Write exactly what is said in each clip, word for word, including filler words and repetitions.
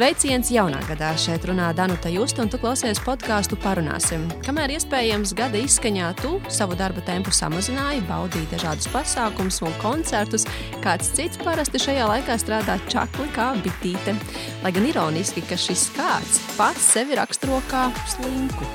Sveiciens jaunā gadā. Šeit runā Danuta Justa, un tu klausies podcastu Parunāsim. Kamēr iespējams gada izskaņā tu savu darba tempu samazināji, baudīji dažādus pasākumus un koncertus, kāds cits parasti šajā laikā strādā čakli kā bitīte. Lai gan ironiski, ka šis kāds pats sevi raksturo kā slinku.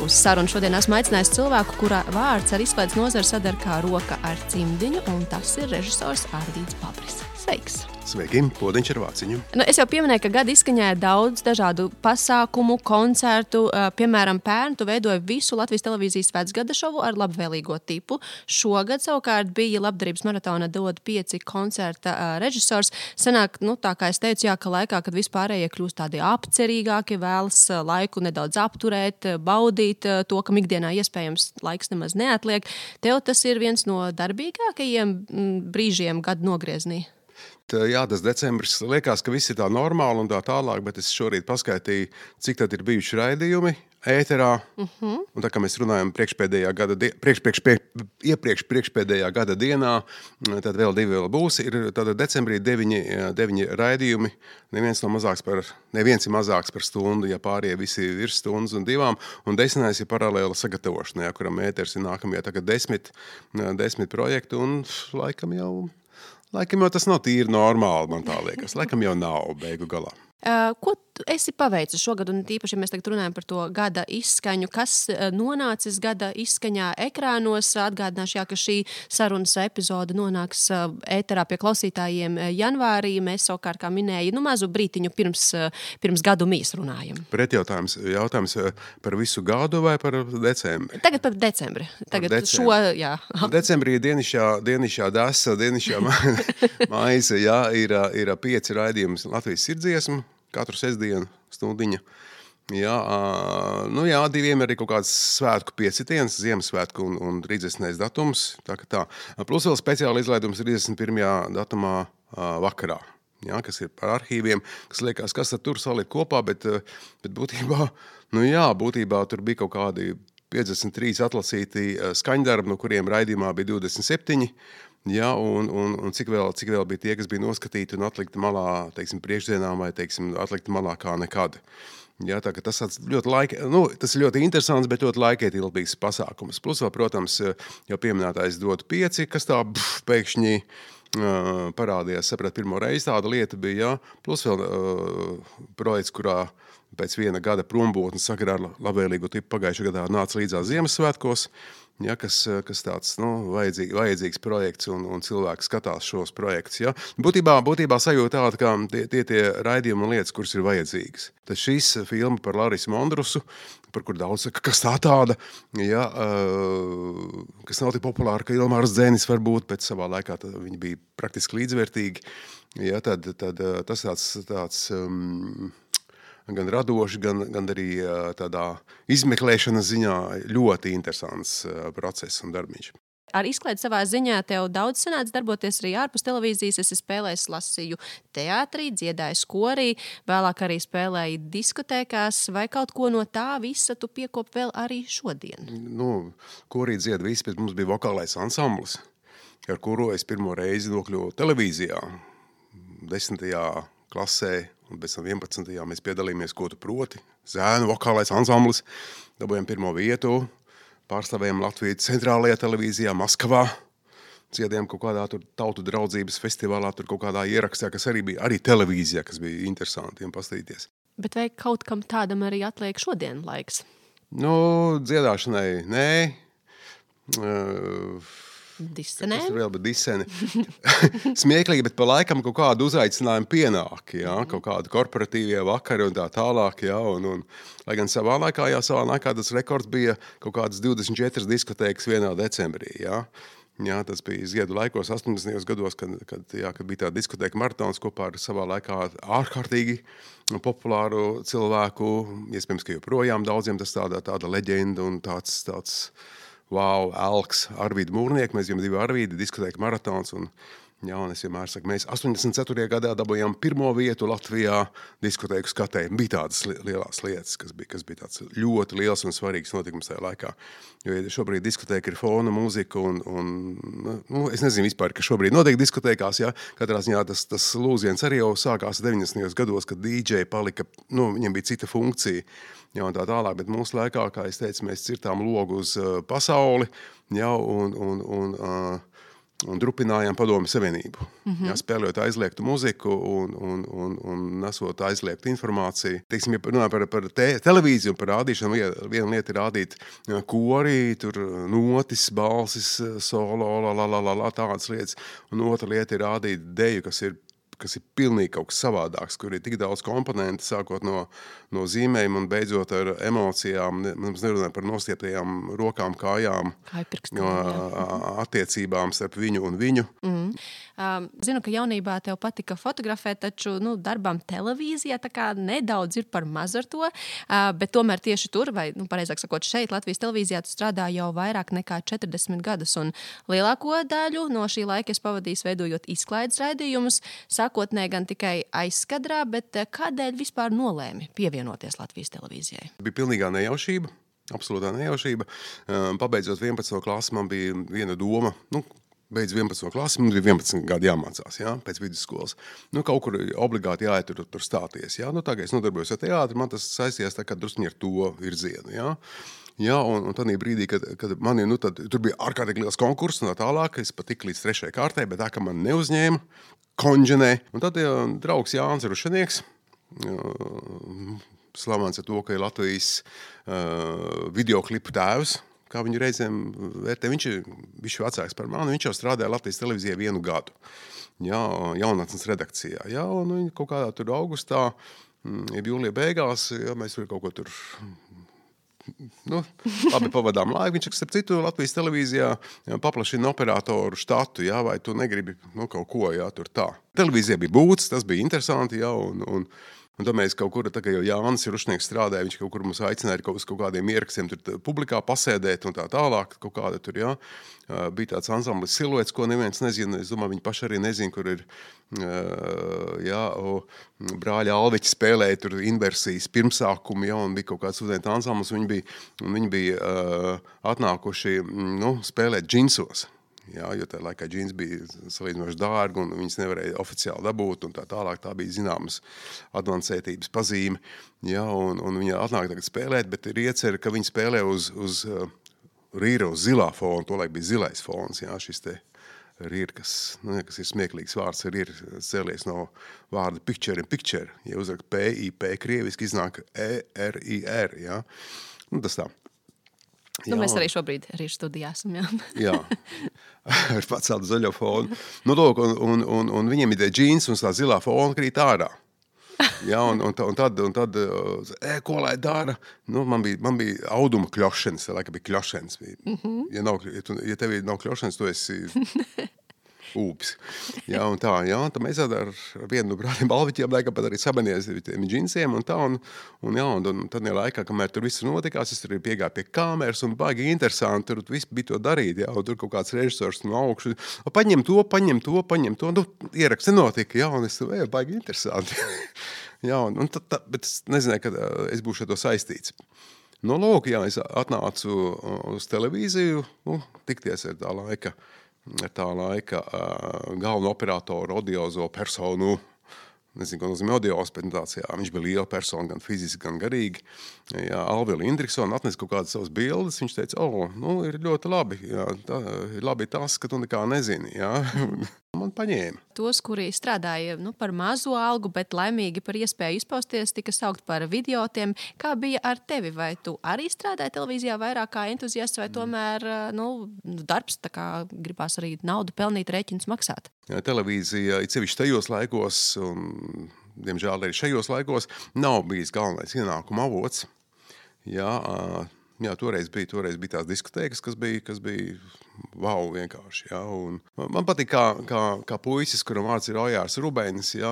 Uz sarunu šodien esmu aicinājis cilvēku, kura vārds ar izklaides nozari sadar kā roka ar cimdiņu, un tas ir režisors Ārvīds Babris. Sveiks! Sveiki, Podiņš ar vāciņu. Nu, es jau pieminēju, ka gada izskaņā ir daudz dažādu pasākumu, koncertu. Piemēram, pērn tu veidoji visu Latvijas televīzijas vecgada šovu ar labvēlīgo tipu. Šogad savukārt bija labdarības maratona dod pieci koncerta režisors. Sanāk, nu, tā kā es teicu, jā, ka laikā, kad vispārējie kļūst tādi apcerīgāki, vēlas laiku nedaudz apturēt, baudīt to, kam ikdienā iespējams laiks nemaz neatliek. Tev tas ir viens no darbīgākajiem brīžiem gada nogrieznī. Jā, tas decembris liekas, ka viss ir tā normāli un tā tālāk, bet es šorīt paskaitīju, cik tad ir bijuši raidījumi ēterā. Uh-huh. Un tā kā mēs runājam priekšpēdējā gada, di- priekš, priekš, priekš, iepriekš priekšpēdējā gada dienā, tad vēl divi vēl būs. Ir tātad decembrī deviņi, deviņi raidījumi, neviens no mazāks par, neviens ir mazāks par stundu, ja pārējie visi ir virs stundas un divām, un desmitais ir paralēla sagatavošana, ja, kuram ēters ir nākamajā, tagad desmit, desmit projektu, un laikam jau... Laikam jau tas nav tīri normāli, man tā liekas. Laikam jau nav beigu galā. Uh, ko tu esi paveicis šogad, un tīpaši, ja mēs tagad runājam par to gada izskaņu, kas nonācis gada izskaņā ekrānos? Atgādināšu, jā, ka šī sarunas epizode nonāks ēterā pie klausītājiem janvārī. Mēs savukārt, kā minēju, nu mazu brītiņu pirms, pirms gadu mēs runājam. Pretjautājums, jautājums par visu gadu vai par decembri? Tagad par decembri. Tagad par decembri. šo, jā. Decembrī dienišķā, dienišķā dasa, dienišķā maize, jā, ir, ir pieci raidījumi Latvijas sirdziesmu. Katru sestdienu stundiņa. Jā, nu jā, diviem ir arī kaut kāds svētku piecitiens, Ziemassvētku un, un trīsdesmitais datums. Tā kā tā. Plus vēl speciāli izlaidums trīsdesmit pirmajā datumā vakarā. Jā, kas ir par arhīviem, kas liekas, kas tur salikt kopā, bet, bet būtībā, nu jā, būtībā tur bija kaut kādi piecdesmit trīs atlasīti skaņdarbi, no kuriem raidījumā bija divdesmit septiņi. Jā, un, un, un cik, vēl, cik vēl bija tie, kas bija noskatīti un atlikti malā, teiksim, priekšdienām vai, teiksim, atlikti malā kā nekad. Jā, tā ka tas ļoti laika, nu, tas ir ļoti interesants, bet ļoti laikietilpīgs pasākums. Plus vēl, protams, jau pieminētais dod pieci, kas tā pf, pēkšņi uh, parādījās, saprat, pirmo reizi tāda lieta bija, jā. Plus vēl uh, projekts, kurā pēc viena gada prombūtnes sakarā ar labvēlīgu tipu pagājušajā gadā nāca līdzās Ziemassvētkos. Ja, kas, kas tāds nu, vajadzīgs, vajadzīgs projekts un, un cilvēki skatās šos projektus. Ja. Būtībā, būtībā sajūta tāda, ka tie, tie, tie raidījumi un lietas, kuras ir vajadzīgas. Tad šis filma par Larisu Mondrusu, par kur daudz saka, kas tā tāda, ja, uh, kas nav tik populāra, ka Ilmārs Dzēnis var būt, bet savā laikā viņi bija praktiski līdzvērtīgi. Ja, tad, tad tas tāds... tāds um, gan radoši, gan, gan arī tādā izmeklēšanas ziņā ļoti interesants process un darbiņš. Ar izklaidi savā ziņā tev daudz sanāca darboties arī ārpus televīzijas. Es spēlēju, lasīju teātrī, dziedāju skorī, vēlāk arī spēlēju diskotēkās. Vai kaut ko no tā visa tu piekop vēl arī šodien? Nu, korī dzied visi, bet mums bija vokālais ansamblis, ar kuru es pirmo reizi nokļuvu televīzijā, desmitajā klasē. Un pēc tam vienpadsmitajā mēs piedalījāmies Ko tu proti, Zēnu vokālais ansamblis, dabūjām pirmo vietu, pārstāvējām Latviju centrālajā televīzijā Maskavā, dziedējām kaut kādā tur tautu draudzības festivālā, tur kaut kādā ierakstā, kas arī bija arī televīzijā, kas bija interesanti pastīties. Bet vai kaut kam tādam arī atliek šodien laiks? Nu, dziedāšanai, nē. Uh, Disenē? Tas tur vēl, bet diseni. Smieklīgi, bet pa laikam kaut kādu uzaicinājumu pienāk, jā, kaut kādu korporatīvie vakari un tā tālāk, jā, un, un, lai gan savā laikā, jā, savā laikā tas rekords bija kaut kādas divdesmit četras diskotēkas vienā decembrī, jā. Jā, tas bija Ziedu laikos, astoņdesmitajos gados, kad, kad, jā, kad bija tā diskotēka maratons kopā ar savā laikā ārkārtīgi populāru cilvēku, iespējams, ka joprojām daudziem tas tāda, tāda leģenda un tāds, tāds wow, Elks, Arvīda Mūrnieka, mēs bijām divi Arvīdi, diskotēka maratons, un, Jā, un es vienmēr saku, mēs astoņdesmit ceturtajā gadā dabūjām pirmo vietu Latvijā diskotēku skatē. Bija tādas lielās lietas, kas bija, kas bija tāds ļoti liels un svarīgs notikums tajā laikā. Jo ja šobrīd diskotēka ir fona mūzika un, un nu, es nezinu vispār, ka šobrīd notiek diskotēkās, jā. Katrā ziņā tas, tas lūziens arī jau sākās deviņdesmitajos gados, kad D J palika, nu, viņam bija cita funkcija. Jā, un tā tālāk, bet mūsu laikā, kā es teicu, mēs cirtām logu uz uh, pasauli, jā, un, un, un uh, un drupinājām Padomju Savienību. Mm-hmm. Jā, spēlējot aizliegtu muziku un, un, un, un nesot aizliegtu informāciju. Teiksim, ja runā par, par te, televīziju un par rādīšanu, viena lieta ir rādīt kori, tur notis, balsis, solo, la, la, la, la, la, tādas lietas. Un otra lieta ir rādīt deju, kas ir kas ir pilnīgi kaut kas savādāks, kur ir tik daudz komponenti, sākot no, no zīmēm un beidzot ar emocijām. Mums nerunāja par nostieptajām rokām, kājām, no attiecībām starp viņu un viņu. Mm. Um, zinu, ka jaunībā tev patika fotografēt, taču nu, darbām televīzijā tā kā nedaudz ir par maz ar to, uh, bet tomēr tieši tur, vai nu, pareizāk sakot, šeit Latvijas televīzijā tu strādā jau vairāk nekā četrdesmit gadus, un lielāko daļu no šī laika es pavadīju veidojot izklaides raidījumus, sākotnē gan tikai aizskadrā, bet kādēļ vispār nolēmi pievienoties Latvijas televīzijai? Bija pilnīgā nejaušība, absolūtā nejaušība. Pabeidzot vienpadsmito klasi, man bija viena doma, nu, beidz vienpadsmito klasi, man bija vienpadsmit gadi jāmācās, jā, pēc vidusskolas. Nu, kaut kur obligāti jāiet tur, tur stāties, jā. Nu, tā kā es nodarbojos ar teātri, man tas saistījās tā kā druskuņi ar to virzienu, jā. Jā, un, un tādā brīdī, kad, kad mani, nu, tad, tur bija ārkārtīgi liels konkurss un tā tālāk, es pat tik līdz trešajai kārtai, bet tā, ka man neuzņēma, konģenē. Un tad jā, draugs Jānis Rušanieks, slavens ar to, ka ir Latvijas uh, videoklipu tēvs, kā viņu reizēm vērtē. Viņš ir bišķi vecāks par mani, viņš jau strādāja Latvijas televīzijā vienu gadu. Jā, jaunatnes redakcijā. Jā, un viņi kaut kādā tur augustā, ja jūlija beigās, jā, mēs tur kaut ko tur, nu, labi pavadām laiku. Viņš, starp citu, Latvijas televīzijā paplašina operatoru štatu, jā, vai tu negribi, nu, kaut ko, jā, tur tā. Televīzijā bija būts, tas bija interesanti, jā, un, un Un tad mēs kaut kur, tā kā jau Jānis Rušnieks strādāja, viņš kaut kur mums aicināja kaut uz kaut kādiem ierakstiem tur publikā pasēdēt un tā tālāk, kaut kāda tur, jā. Bija tāds ansamblis Siluets, ko neviens nezina, es domāju, viņi paši arī nezina, kur ir, jā, brāļa Alveķi spēlēja tur inversijas pirmsākumu, jā, un bija kaut kāds studenta ansamblis, viņi bija, viņi bija atnākuši, nu, spēlēt džinsos. Jā, jo tā laikā džins bija salīdzinoši dārgi un viņas nevarēja oficiāli dabūt un tā tālāk. Tā bija zināmas advancētības pazīme. Jā, un, un viņa atnāk tagad spēlēt, bet ir iecer, ka viņa spēlē uz, uz uh, rīra, uz zilā fona. Tolaik bija zilais fons, jā, šis te rīra, kas, nu, kas ir smieklīgs vārds, rīra cēlies no vārda picture and picture. Ja uzrakt P I P, krieviski iznāk E R I R, jā. Nu, tas tā. Nu, jā, mēs arī šobrīd arī studijā esam, jā. Jā, ar pacēlu zaļo fonu. Nu, lūk, un, un, un, un viņiem ir tie džīns un tā zilā fona krīt ārā. Jā, un, un, un tad, un tad e, ko lai dara? Nu, man bija, man bija auduma kļošanas, tā laika bija kļošanas. Mm-hmm. Ja, nav, ja, tu, ja tev ir nav kļošanas, tu esi ūpis. Jā, un tā, jā, tad mēs ar vienu no brāļiem Alviķiem laikam pat arī sabanies tiem džinsiem un tā, un, un jā, un, un tad laikā, kamēr tur viss notikās, es tur piegāju pie kameras un baigi interesanti, tur viss bija to darīt, jā, un tur kaut kāds režisors no augšu, paņem to, paņem to, paņem to, nu, ieraksti notika, jā, un es tur, jā, baigi interesanti. Jā, un, un tad, tā, bet es nezināju, kad es būšu ar to saistīts. No lūk, jā, es atnācu uz televīziju, nu, tikties ar tā laika, ar tā laika uh, galveno operatoru, audiozo personu, nezinu, ko nozīmē audios, bet tāds, jā, viņš bija liela persona, gan fiziski, gan garīgi. Jā, Alvila Indriksona atnesa kaut kādas savas bildes, viņš teica, o, nu, ir ļoti labi, jā, tā, ir labi tas, ka tu nekā nezini, jā. Man paņēma. Tos, kuri strādāja nu, par mazu algu, bet laimīgi par iespēju izpausties, tika saukt par idiotiem. Kā bija ar tevi? Vai tu arī strādāji televīzijā vairāk kā entuziasts, vai tomēr nu, darbs, tā kā gribās arī naudu pelnīt, rēķinus maksāt? Jā, televīzija, it sevišķi tajos laikos, un diemžēl arī šajos laikos, nav bijis galvenais ienākuma avots. Jā, jā, toreiz bija, toreiz bija tās diskotēkas, kas bija, kas bija wow, vienkārši, jā, un man patīk, kā, kā, kā puisis, kuram vārds ir Ojārs Rubēnis, jā,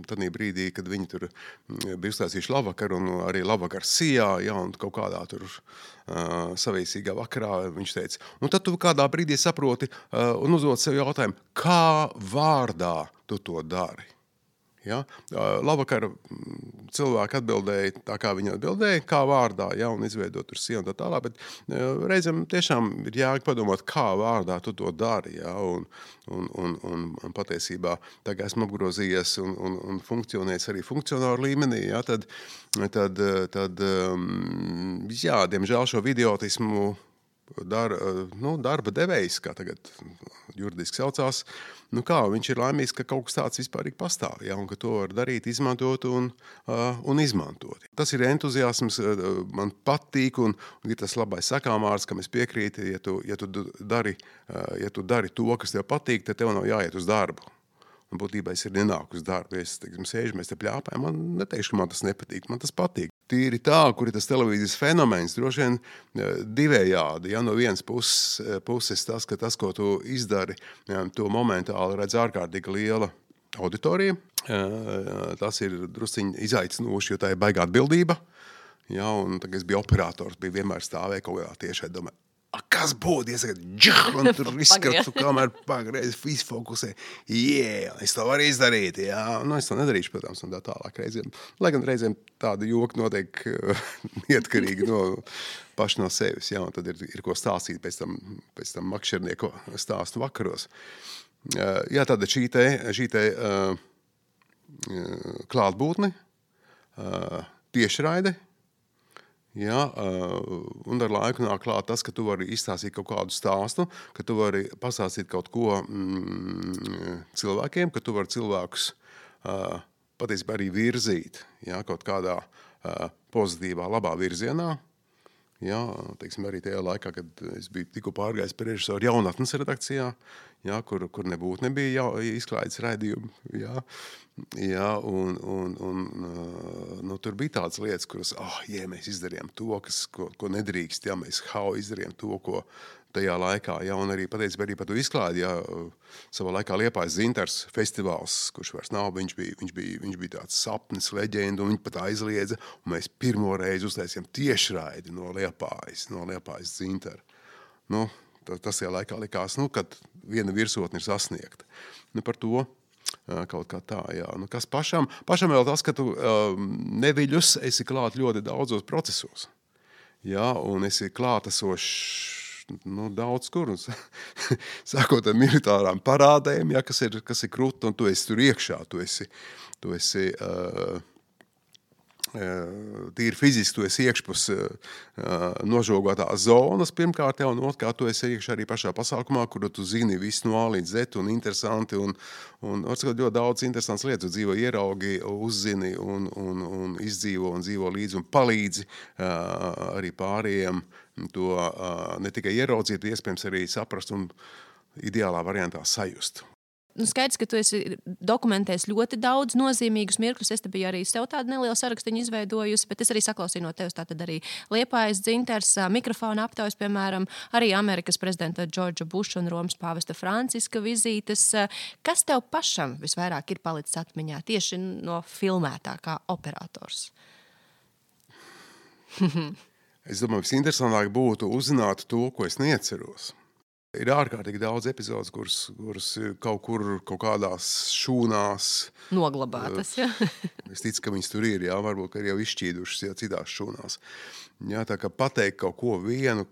tādī brīdī, kad viņi tur bija uzstāstījuši labvakaru, un arī labvakar Sijā, jā, un kaut kādā tur uh, savīsīgā vakarā viņš teica, un tad tu kādā brīdī saproti uh, un uzdod sev jautājumu, kā vārdā tu to dari? Ja? Labvakar cilvēki atbildēja tā, kā viņi atbildēja, kā vārdā, ja, un izveidot tur sienu un tā tālāk, bet reizēm tiešām ir jāg padomāt, kā vārdā tu to dari, ja, un, un, un, un, un patiesībā tagad esmu apgrozījies un, un, un funkcionēs arī funkcionāru līmenī, ja, tad, tad, tad jā, diemžēl šo vidiotismu Dar, nu, darba devējs, kā tagad juridiski saucās, nu kā, viņš ir laimīgs, ka kaut kas tāds vispārīgi pastāv, ja, un ka to var darīt, izmantot un, uh, un izmantot. Tas ir entuziasms, uh, man patīk, un, un ir tas labais sakāmārs, kam es piekrītu, ja tu, ja tu dari, uh, ja tu dari to, kas tev patīk, tad tev nav jāiet uz darbu. Un būtībā es ir nenāku uz darbu, ja es, teiksim, sēžu, mēs te pļāpājam, man neteikšu, ka man tas nepatīk, man tas patīk. Tīri tā, kur ir tas televīzijas fenomens, droši vien divējādi. Ja, no vienas puses, puses tas, ka tas, ko tu izdari, ja, to momentāli redz ārkārtīgi liela auditorija. Tas ir drusciņi izaicinoši, jo tā ir baigā atbildība. Ja, un tagad es biju operators, biju vienmēr stāvēja kaut kādā tiešai domē. Kas būtu, ja saka, džah, un tur izskatu, kamēr pagreiz izfokusē. Jā, yeah, es to varu izdarīt, jā. Nu, es to nedarīšu, protams, un tā tālāk reizēm. Lai gan reizēm tāda joka notiek neatkarīgi no paši no sevis, jā, un tad ir, ir ko stāstīt pēc tam, pēc tam makšernieku stāstu vakaros. Jā, tāda šī te, šī te uh, klātbūtne, uh, tiešraide, ja, un ar laiku nāk klāt tas, ka tu vari izstāstīt kaut kādu stāstu, ka tu vari pastāstīt kaut ko mm, cilvēkiem, ka tu vari cilvēkus uh, patiesībā arī virzīt, ja, kaut kādā uh, pozitīvā, labā virzienā. Ja, teiksim, arī tajā laikā, kad es biju tikko pārgājis par režisoru jaunatnes redakcijā, ja, kur, kur nebūtu nebija jau izklaides raidījumi. Ja, ja, un, un, un nu, tur bija tādas lietas, kuras, oh, jā, mēs izdarījām to, kas, ko, ko nedrīkst, ja, mēs hau izdarījām to, ko tajā laikā, ja, un arī patiesībā arī par to izklādi, ja, savā laikā Liepājas Zintars festivāls, kurš vairs nav, viņš bija, viņš bija, viņš bija tāds sapnis, leģenda, un viņi pat aizliedza, un mēs pirmo reizi uztaisījām tiešraidi no Liepājas, no Liepājas Zintara. Nu, tas tajā laikā likās, nu, kad viena virsotne ir sasniegta. Nu, par to kaut kā tā, jā. Nu, kas pašam, pašam vēl tas, ka tu um, neviļus esi klāt ļoti daudzos procesos, jā, un esi klātesošs, nu, daudz kur, sākot ar militārām parādēm, ja, kas ir, kas ir krūta, un tu esi tur iekšā, tu esi, tu esi uh, uh, tīri fiziski, tu esi iekšpus uh, nožogotās zonas pirmkārt, ja, un otrkārt, tu esi iekšā arī pašā pasākumā, kur tu zini visu no A līdz Z, un interesanti, un, un atskot ļoti daudz interesants lietas, tu dzīvo ieraugi, uzzini, un, un, un izdzīvo, un dzīvo līdzi, un palīdzi uh, arī pārējiem, to uh, ne tikai ieraudzīt, iespējams arī saprast un ideālā variantā sajust. Nu, skaidrs, ka tu esi dokumentējis ļoti daudz nozīmīgus mirkļus. Es te biju arī sev tādu nelielu sarakstiņu izveidojusi, bet es arī saklausīju no tevis tātad arī Liepājas Dzintars, mikrofona aptaujas, piemēram, arī Amerikas prezidenta Džordža Buša un Romas pāvesta Franciska vizītes. Kas tev pašam visvairāk ir palicis atmiņā tieši no filmētā kā operators? Es domāju, visinteresantāk būtu uzzināt to, ko es neatceros. Ir ārkārtīgi daudz epizodes, kuras, kuras kaut kur, kaut kādās šūnās noglabātas, ja? Es ticu, ka viņas tur ir, jā, varbūt, ka ir jau izšķīdušas, jā, citās šūnās. Jā, tā kā pateikt kaut ko vienu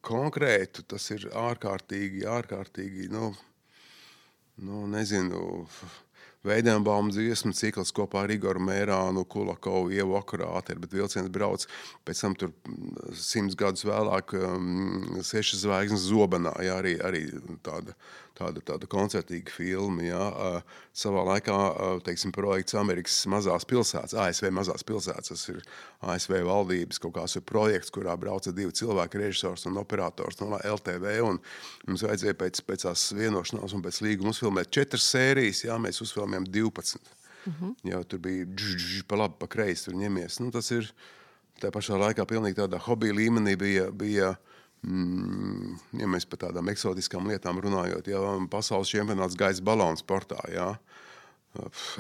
konkrētu, tas ir ārkārtīgi, ārkārtīgi, nu, nu nezinu, Veidenbauma dziesmu cikls kopā ar Igoru Mērānu, Kulakovu, Ievu Akurāti, bet vilciens brauc, pēc tam tur simts gadus vēlāk um, Sešas zvaigznes Zobenā, jā, arī, arī tāda, tāda, tāda koncertīga filma, jā, uh, savā laikā, uh, teiksim, projekts Amerikas mazās pilsētas, A S V mazās pilsētas, tas ir A S V valdības kaut kāds projekts, kurā brauca divi cilvēki, režisors un operators no L T V, un mums vajadzēja pēc, pēc tās vienošanās un pēc līguma uzfilmēt četras sērijas, jā, mēs uzfilmējām divpadsmit. Uh-huh. Jā, tur bija dž, dž, pa labi, pa kreisi tur ņemies. Nu, tas ir, tā pašā laikā pilnīgi tādā hobija līmenī bija, bija mm, ja mēs par tādām eksotiskām lietām runājot, ja pasaules čempionāts gaisa balonu sportā, jā,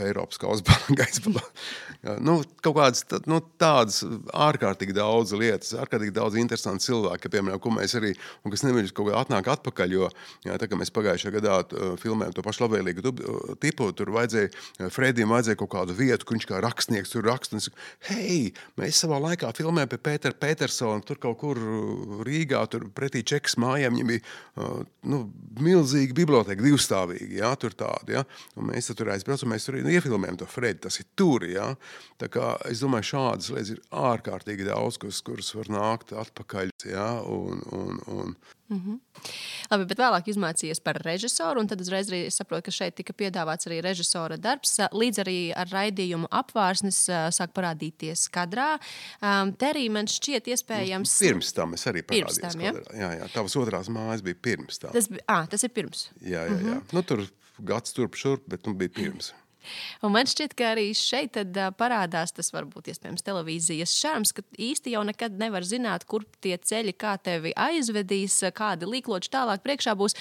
Eiropas kausa gaisa balonu. Nu, kaut kādas nu, tādas ārkārtīgi daudz lietas, ārkārtīgi daudz interesanti cilvēki, piemēram, ko mēs arī, un kas neviļas kaut kā atnāk atpakaļ, jo, jā, tā kā mēs pagājušajā gadā filmējam to pašu labvēlīgu tipu, tur vajadzēja, Fredim vajadzēja kaut kādu vietu, kur viņš kā rakstnieks tur rakst, un es, hei, mēs savā laikā filmējam pie Pētera Petersona, tur kaut kur Rīgā, tur pretī Čekas mājām, viņam bija, nu, milzīgi biblioteka, divstāvīgi, jā, tur tādi, jā, un mēs tur aizbraucam, mēs tur iefilmējam to Fredi, tas ir tur, jā. Tā kā es domāju, šādas lietas ir ārkārtīgi daudz, kuras, kuras var nākt atpakaļ, jā, un, un, un. Mm-hmm. Labi, bet vēlāk izmācījies par režisoru, un tad uzreiz arī saprotu, ka šeit tika piedāvāts arī režisora darbs, līdz arī ar raidījumu Apvārsnes sāk parādīties kadrā. Um, te arī man šķiet iespējams... Pirms tam es arī parādījos tam, ja? kadrā. Jā, jā, tavas otrās mājas bija pirms tam. Tas, à, tas ir pirms? Jā, jā, jā. Mm-hmm. Nu, tur gads turp šurp, bet nu bija pirms. Un man šķiet, ka arī šeit tad parādās tas varbūt iespējams televīzijas šarms, ka īsti jau nekad nevar zināt, kur tie ceļi, kā tevi aizvedīs, kādi līkloči tālāk priekšā būs.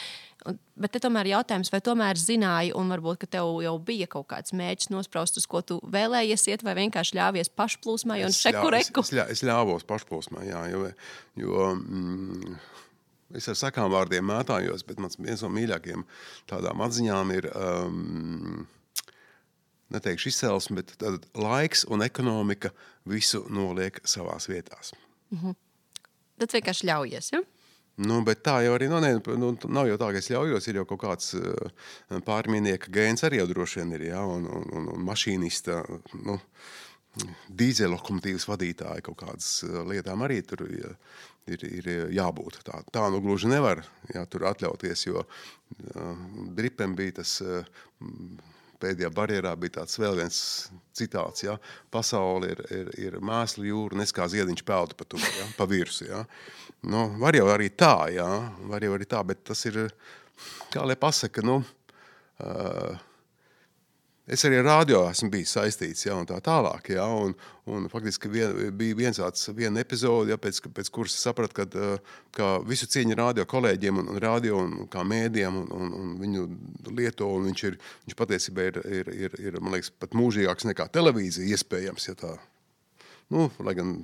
Bet te tomēr jautājums, vai tomēr zināji un varbūt, ka tev jau bija kaut kāds mērķis nospraust, uz ko tu vēlējies iet, vai vienkārši ļāvies pašplūsmai un šeku reku? Es, ļā, es ļāvos pašplūsmai, jā, jo... jo mm, Es ar sakām vārdiem mētājos, bet mans viens no mīļākajiem tādām atziņām ir, um, neteikšu izcelsme, bet tad laiks un ekonomika visu noliek savās vietās. Mm-hmm. Tad vienkārši ļaujies, ja? Nu, bet tā jau arī, nu, ne, nu, nav jau tā, ka es ļaujos, ir jau kaut kāds uh, pārmīnieka gēns arī jau droši vien ir, ja, un, un, un, un mašīnista, nu, dīzeļlokomotīvas vadītāji kaut kādas lietām arī tur ja, ir, ir jābūt. Tā, tā nu gluži nevar jā, tur atļauties, jo uh, Dripem bija tas uh, pēdējā barjerā bija tāds vēl viens citāts, ja, pasauli ir, ir, ir mēslu jūra, nes kā ziediņš peldu pa to, ja, pa virsu, ja. Nu, var jau arī tā, ja, var jau arī tā, bet tas ir, kā lai pasaka, nu, uh, es arī ar radio esmu bijis saistīts, ja, un tā tālāk, ja, un, un faktiski vien, bija viens tāds, viena epizode, ja, pēc, pēc kuras es sapratu, kad, ka visu cieņu radio kolēģiem un, un radio un kā mēdiem un, un, un viņu lieto, un viņš ir, viņš patiesībā ir, ir, ir, ir, man liekas, pat mūžīgāks nekā televīzija iespējams, ja tā, nu, lai gan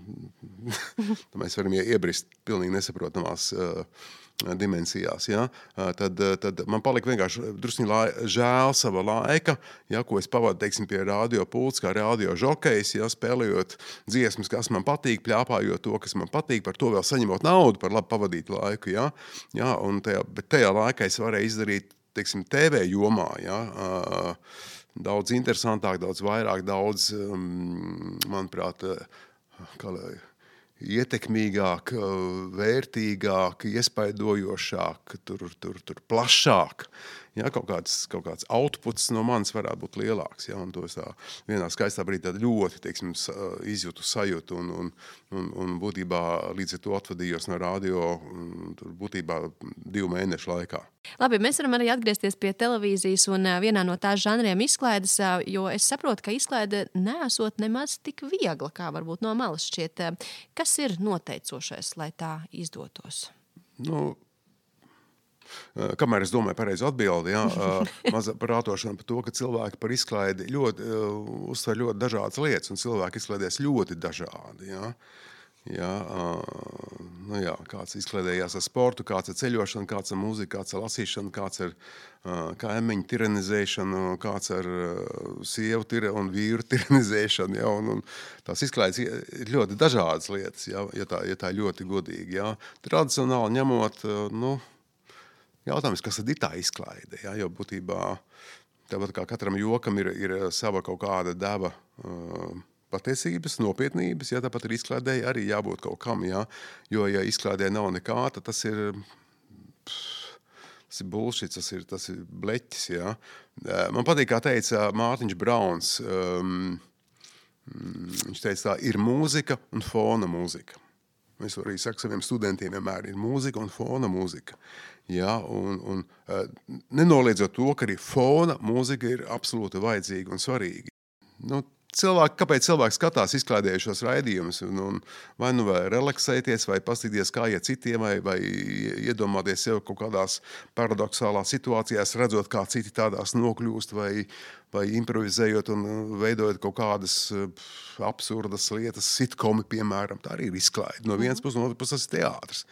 mēs varam iebrist pilnīgi nesaprotamās uh, dimensijās, ja, tad, tad man palika vienkārši drusni lai, žēl sava laika, ja, ko es pavadu, teiksim, pie radio pults, kā radio žokejs, ja, spēlējot dziesmas, kas man patīk, pļāpājot to, kas man patīk, par to vēl saņemot naudu par labi pavadītu laiku, ja, ja, un tajā, bet tajā laikā es varēju izdarīt, teiksim, T V jomā, ja, daudz interesantāk, daudz vairāk, daudz, manuprāt, kā lai, ietekmīgāk, vērtīgāk, iespaidojošāk, tur, tur, tur plašāk. Ja, kaut kāds, kaut kāds outputs no manis varētu būt lielāks. Ja, un to es tā vienā skaistā brīdī ļoti, teiksim, izjūtu sajūtu un, un, un, un būtībā līdz ar to atvadījos no radio tur būtībā divu mēnešu laikā. Labi, mēs varam arī atgriezties pie televīzijas un vienā no tās žanriem izklaides, jo es saprotu, ka izklaide neesot nemaz tik viegla, kā varbūt no malas šķiet. Kas ir noteicošais, lai tā izdotos? Nu, kamēr es domāju pareizi atbildi, jā, maza prātošana par to, ka cilvēki par izklaidi ļoti, uztver ļoti dažādas lietas, un cilvēki izklaidēs ļoti dažādi, jā. Jā, nu jā, kāds izklaidējās ar sportu, kāds ar ceļošanu, kāds ar mūziku, kāds ar lasīšanu, kāds ar kā emiņu tiranizēšanu, kāds ar sievu tira un vīru tiranizēšanu, jā, un, un tās izklaides ir ļoti dažādas lietas, jā, ja tā, ja tā ļoti godīgi, jā. Tradicionāli ņemot, nu, jautājums, kas tad ir tā izklaide, jā, jo būtībā, tāpat kā katram jokam ir, ir sava kaut kāda deva uh, patiesības, nopietnības, ja tāpat ir izklaidēji arī jābūt kaut kam, ja, jo, ja izklaidēji nav nekā, tad tas ir, tas ir bullshit, tas ir, tas ir bleķis, ja. Man patīk, kā teica Mārtiņš Brauns, um, viņš teica tā, ir mūzika un fona mūzika. Es arī saku saviem studentiem vienmēr, ir mūzika un fona mūzika. Ja, un, un nenoliedzot to, ka arī fona mūzika ir absolūti vajadzīga un svarīga. Nu, cilvēki, kāpēc cilvēki skatās izklaidējušos raidījumus, un, un vai nu vai relaksēties, vai pastīties kā iet citiem, vai, vai iedomāties sev kaut kādās paradoxālās situācijās, redzot, kā citi tādās nokļūst, vai, vai improvizējot un veidojot kaut kādas absurdas lietas, sitkomi, piemēram, tā arī ir izklaide. No vienas puses, no otras puses tas ir teātris.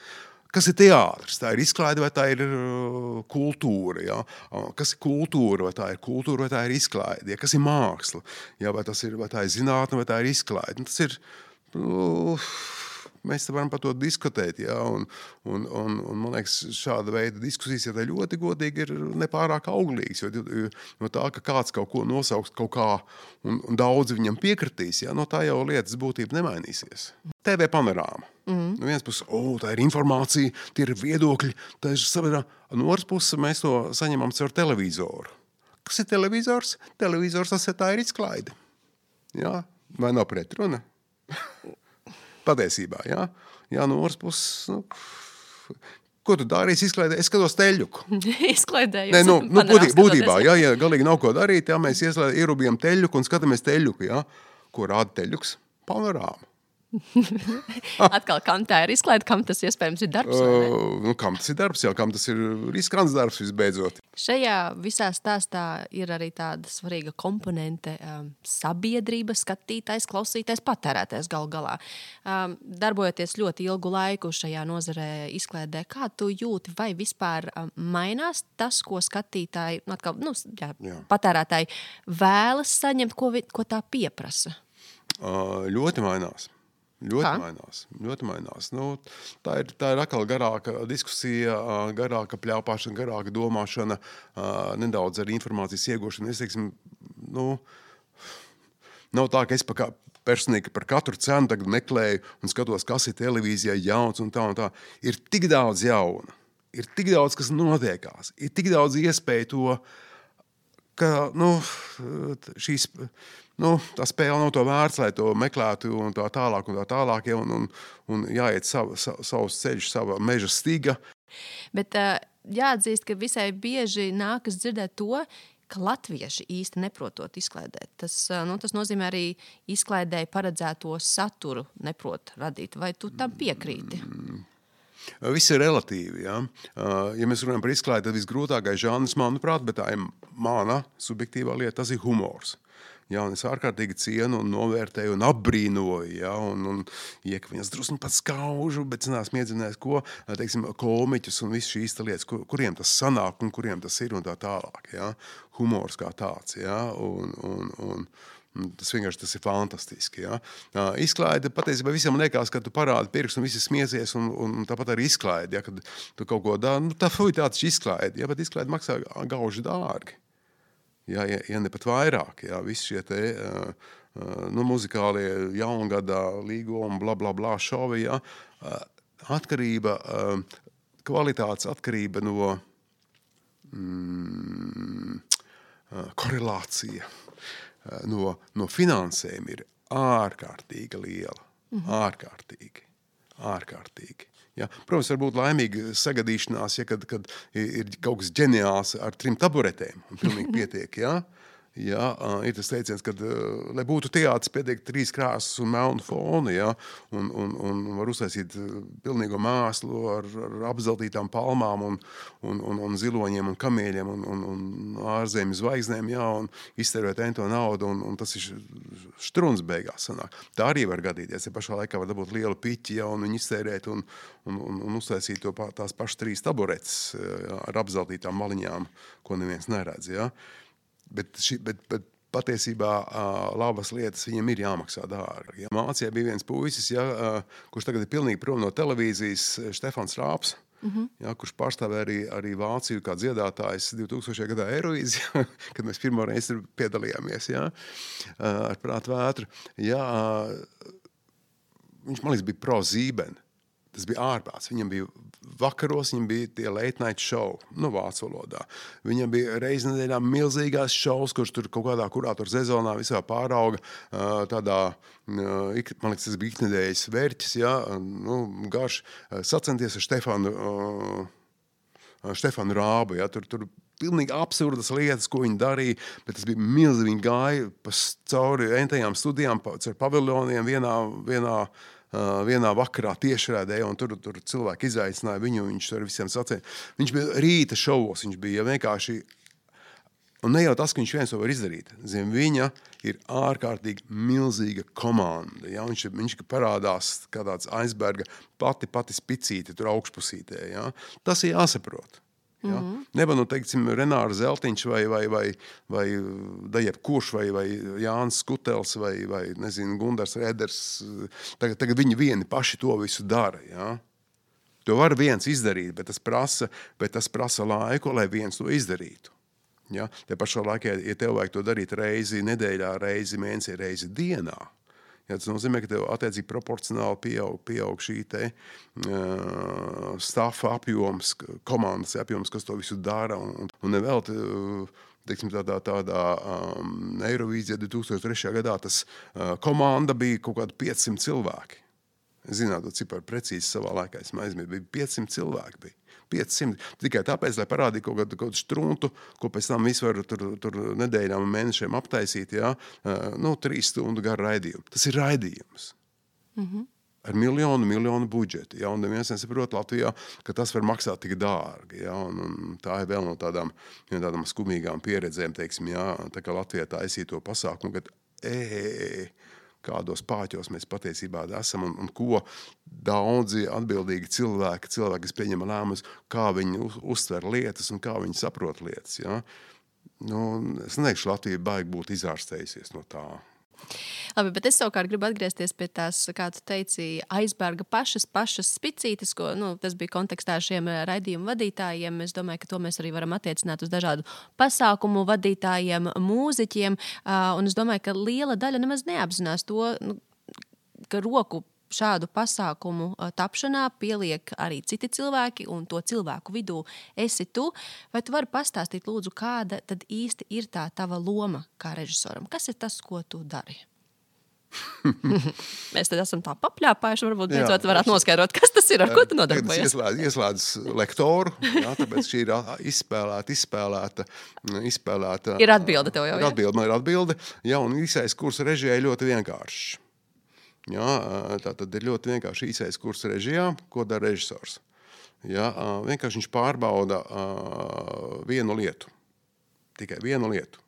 Kas ir teātris? Tā ir izklaide vai tā ir uh, kultūra? Ja? Kas ir kultūra? Vai tā ir kultūra vai tā ir izklaide? Ja? Kas ir māksla? Ja? Vai, tas ir, vai tā ir zinātne vai tā ir izklaide? Tas ir, uh, mēs te varam par to diskutēt. Ja? Un, un, un, un man liekas, šāda veida diskusijas, ja tā ļoti godīgi, ir nepārāk auglīgas. Jo, no tā, ka kāds kaut ko nosauks kaut kā un, un daudzi viņam piekritīs, ja? No tā jau lietas būtība nemainīsies. T V panorāma. Mm. No vienas puses, oh, tā ir informācija, tie ir viedokļi, tā ir sabiedrā. No otras puses, mēs to saņemam caur televizoru. Kas ir televizors? Televizors, tas ir tā ir izklaide. Jā? Vai nav pretruna? Patiesībā, jā? Jā, no otras puses, nu, ko tu darīsi izklaidē? Es skatos teļuku. Izklaidēju. Nē, nu, nu, būtībā, būtībā jā, ja galīgi nav ko darīt, jā, mēs ierubījam teļuku un skatāmies teļuku, jā. Ko rāda teļuks? Panorāma. Atkal, kam tā ir izklaide, kam tas iespējams ir darbs? Uh, nu, kam tas ir darbs, jā, kam tas ir riskrants darbs visbeidzot. Šajā visā stāstā ir arī tāda svarīga komponente um, sabiedrība, skatītājs, klausītājs, patērētājs galu galā. Um, darbojoties ļoti ilgu laiku šajā nozarē izklaidē, kā tu jūti, vai vispār um, mainās tas, ko skatītāji, atkal, nu, jā, jā. patērētāji vēlas saņemt, ko, vi, ko tā pieprasa? Uh, ļoti mainās. Ļoti Kā? mainās, ļoti mainās. Nu, tā, ir, tā ir atkal garāka diskusija, garāka pļāpāšana, garāka domāšana, nedaudz arī informācijas iegūšana. Es teiksim, nu, nav tā, ka es pa kā, personīgi par katru cenu tagad meklēju un skatos, kas ir televīzijā jauns un tā un tā. Ir tik daudz jauna, ir tik daudz, kas notiekās, ir tik daudz iespēju to, ka, nu, šīs... Nu, tā spēle nav to vērts, lai to meklētu un tā tālāk un tā tālāk, ja, un, un, un jāiet savu, savu, savus ceļus, sava meža stiga. Bet uh, jāatzīst, ka visai bieži nākas dzirdēt to, ka latvieši īsti neprotot izklaidēt. Tas, uh, nu, tas nozīmē arī izklaidēji paredzēto saturu neprot radīt. Vai tu tam piekrīti? Mm. Viss ir relatīvi. Ja, uh, ja mēs runājam par izklaidi, tad visgrūtākais žanrs, manuprāt, bet tā ir mana subjektīvā lieta, tas ir humors. Jā, un es ārkārtīgi cienu un novērtēju un apbrīnoju, ja, un, un iek viņas drusni pat skaužu, bet zinās miedzinājis, ko, teiksim, komiķus un visu šīs lietas, kur, kuriem tas sanāk un kuriem tas ir un tā tālāk, ja, humors kā tāds, ja, un, un, un, un tas vienkārši tas ir fantastiski, ja. Izklaide, patiesībā visam liekas, ka tu parādi pirkstu un visi smieties un, un tāpat arī izklaide, ja, kad tu kaut ko dā, nu tā fuj tāds izklaide, ja, bet izklaide maksā gauži dārgi. Ja, ja, ja ne pat vairāk, ja, visi šie te, uh, uh, nu, muzikālie jaungadā līgumi, bla, bla, bla, šovi, ja, uh, atkarība, uh, kvalitātes atkarība no mm, uh, korelācija, uh, no, no finansēm ir ārkārtīgi liela, mhm. ārkārtīgi, ārkārtīgi. Ja, protams, var būt laimīga sagadīšanās, ja, kad, kad ir kaut kas ģeniāls ar trim taburetēm un pilnīgi pietiek. Ja. Ja, ir tas teiciens, kad, lai būtu teātris, pietiek trīs krāsas un melnu fonu, ja, un, un, un var uztaisīt pilnīgo mēslu ar, ar apzeltītām palmām un, un, un, un ziloņiem un kamieļiem un, un, un ārzemju zvaigznēm, ja, un iztērēt ento naudu, un, un tas ir štruns beigās sanāk. Tā arī var gadīties, ja pašā laikā var dabūt lielu piķi, ja, un viņu iztērēt un, un, un, un uztaisīt to, tās pašas trīs taburetes, ja, ar apzeltītām maliņām, ko neviens neredz, ja. Bet, ši, bet, bet patiesībā uh, labas lietas viņam ir jāmaksā dārgi. Ja. Mācijā bija viens puisis, ja, uh, kurš tagad ir pilnīgi prom no televīzijas, Štefans Rāps, mm-hmm. ja, kurš pārstāvēja arī, arī Vāciju kā dziedātājs divtūkstošajā gadā Eirovīzijā, kad mēs pirmo reizi piedalījāmies, ja, uh, ar prātu vētru. Ja, uh, viņš, man liekas, bija pro Zīben. Tas bija ārprāts. Viņam bija vakaros, viņam bija tie late night show, nu, vācu valodā. Viņam bija reiz nedēļā milzīgās šovs, kurš tur kaut kādā kurātoru sezonā visā pārauga tādā, man liekas, tas bija iknedēļas vērķis, ja, nu, garš, sacenties ar Štefanu Štefanu Rābu, ja, tur, tur pilnīgi absurdas lietas, ko viņi darīja, bet tas bija milzīgi, viņi gāja pa cauri entajām studijām, pa, caur paviljoniem vienā, vienā, uh, vienā vakarā tiešrādē, un tur, tur cilvēki izaicināja viņu, viņš ar visiem sacīja. Viņš bija rīta šovos, viņš bija vienkārši, un ne jau tas, ka viņš viens to var izdarīt. Zin, viņa ir ārkārtīgi milzīga komanda. Ja? Viņš, viņš parādās kā tāds aizberga pati, pati spicīte tur augšpusītē. Ja? Tas ir jāsaprot. Ja? Mm-hmm. Neba, nu, teiksim, Renāra Zeltiņš vai, vai, vai, vai Dajeb Kurš vai, vai Jānis Skutels vai, vai nezinu, Gundars Reders. Tagad, tagad viņi vieni paši to visu dara. Ja? To var viens izdarīt, bet tas prasa, bet tas prasa laiku, lai viens to izdarītu. Ja? Te pašā laikā, ja tev vajag to darīt reizi nedēļā, reizi mēnesī, reizi dienā, ja, tas nozīmē, ka tev attiecīgi proporcionāli pieaug, pieaug šī te uh, stafa apjoms, komandas apjoms, kas to visu dara. Un, un nevēl, teiksim, tādā, tādā um, Eirovīzijā divi tūkstoši trešajā gadā tas uh, komanda bija kaut kādi piecsimt cilvēki. Zināt, to ciparu precīzi savā laikā, es aizmirsu, bija piecsimt cilvēki bija. piecsimt. Tikai tāpēc, lai parādītu kaut kādu, kaut kādu struntu, ko pēc tam visu var tur, tur nedēļām un mēnešiem aptaisīt, jā, nu, trīs stundu garu raidījumu. Tas ir raidījums. Mm-hmm. Ar miljonu, miljonu budžetu. Jā, un neviens nesaprot Latvijā, ka tas var maksāt tik dārgi. Jā, un, un tā ir vēl no tādām, ja, tādām skumīgām pieredzēm, teiksim, jā, tā kā Latvijā taisīja to pasākumu, kad ē, kādos pāķos mēs patiesībā esam un, un ko daudzi atbildīgi cilvēki, cilvēki, kas pieņem lēmumus, kā viņi uztver lietas un kā viņi saprot lietas. Ja? Nu, es neteikšu, Latvija baigi būtu izārstējusies no tā. Labi, bet es savukārt gribu atgriezties pie tās, kā tu teici, aizberga pašas, pašas spicītes, ko, nu, tas bija kontekstā ar šiem raidījumu vadītājiem. Es domāju, ka to mēs arī varam attiecināt uz dažādu pasākumu vadītājiem, mūziķiem, un es domāju, ka liela daļa nemaz neapzinās to, nu, ka roku šādu pasākumu tapšanā pieliek arī citi cilvēki, un to cilvēku vidū esi tu. Vai tu vari pastāstīt, lūdzu, kāda tad īsti ir tā tava loma kā režisoram? Kas ir tas, ko tu dari? Mēs tad esam tā papļāpājuši, varbūt beidzot varētu noskaidrot, kas tas ir, ar ko tu nodarbojies. Ieslēdz, ieslēdz lektoru, jā, tāpēc šī ir izspēlēta, izspēlēta, izspēlēta. Ir atbilde tev jau, jā? Atbilde, man ir atbilde, jā, un īsais kurs režijai ļoti vienkāršs. Jā, tā tad ir ļoti vienkārši īsais kurs režijā, ko dara režisors. Jā, vienkārši viņš pārbauda vienu lietu, tikai vienu lietu.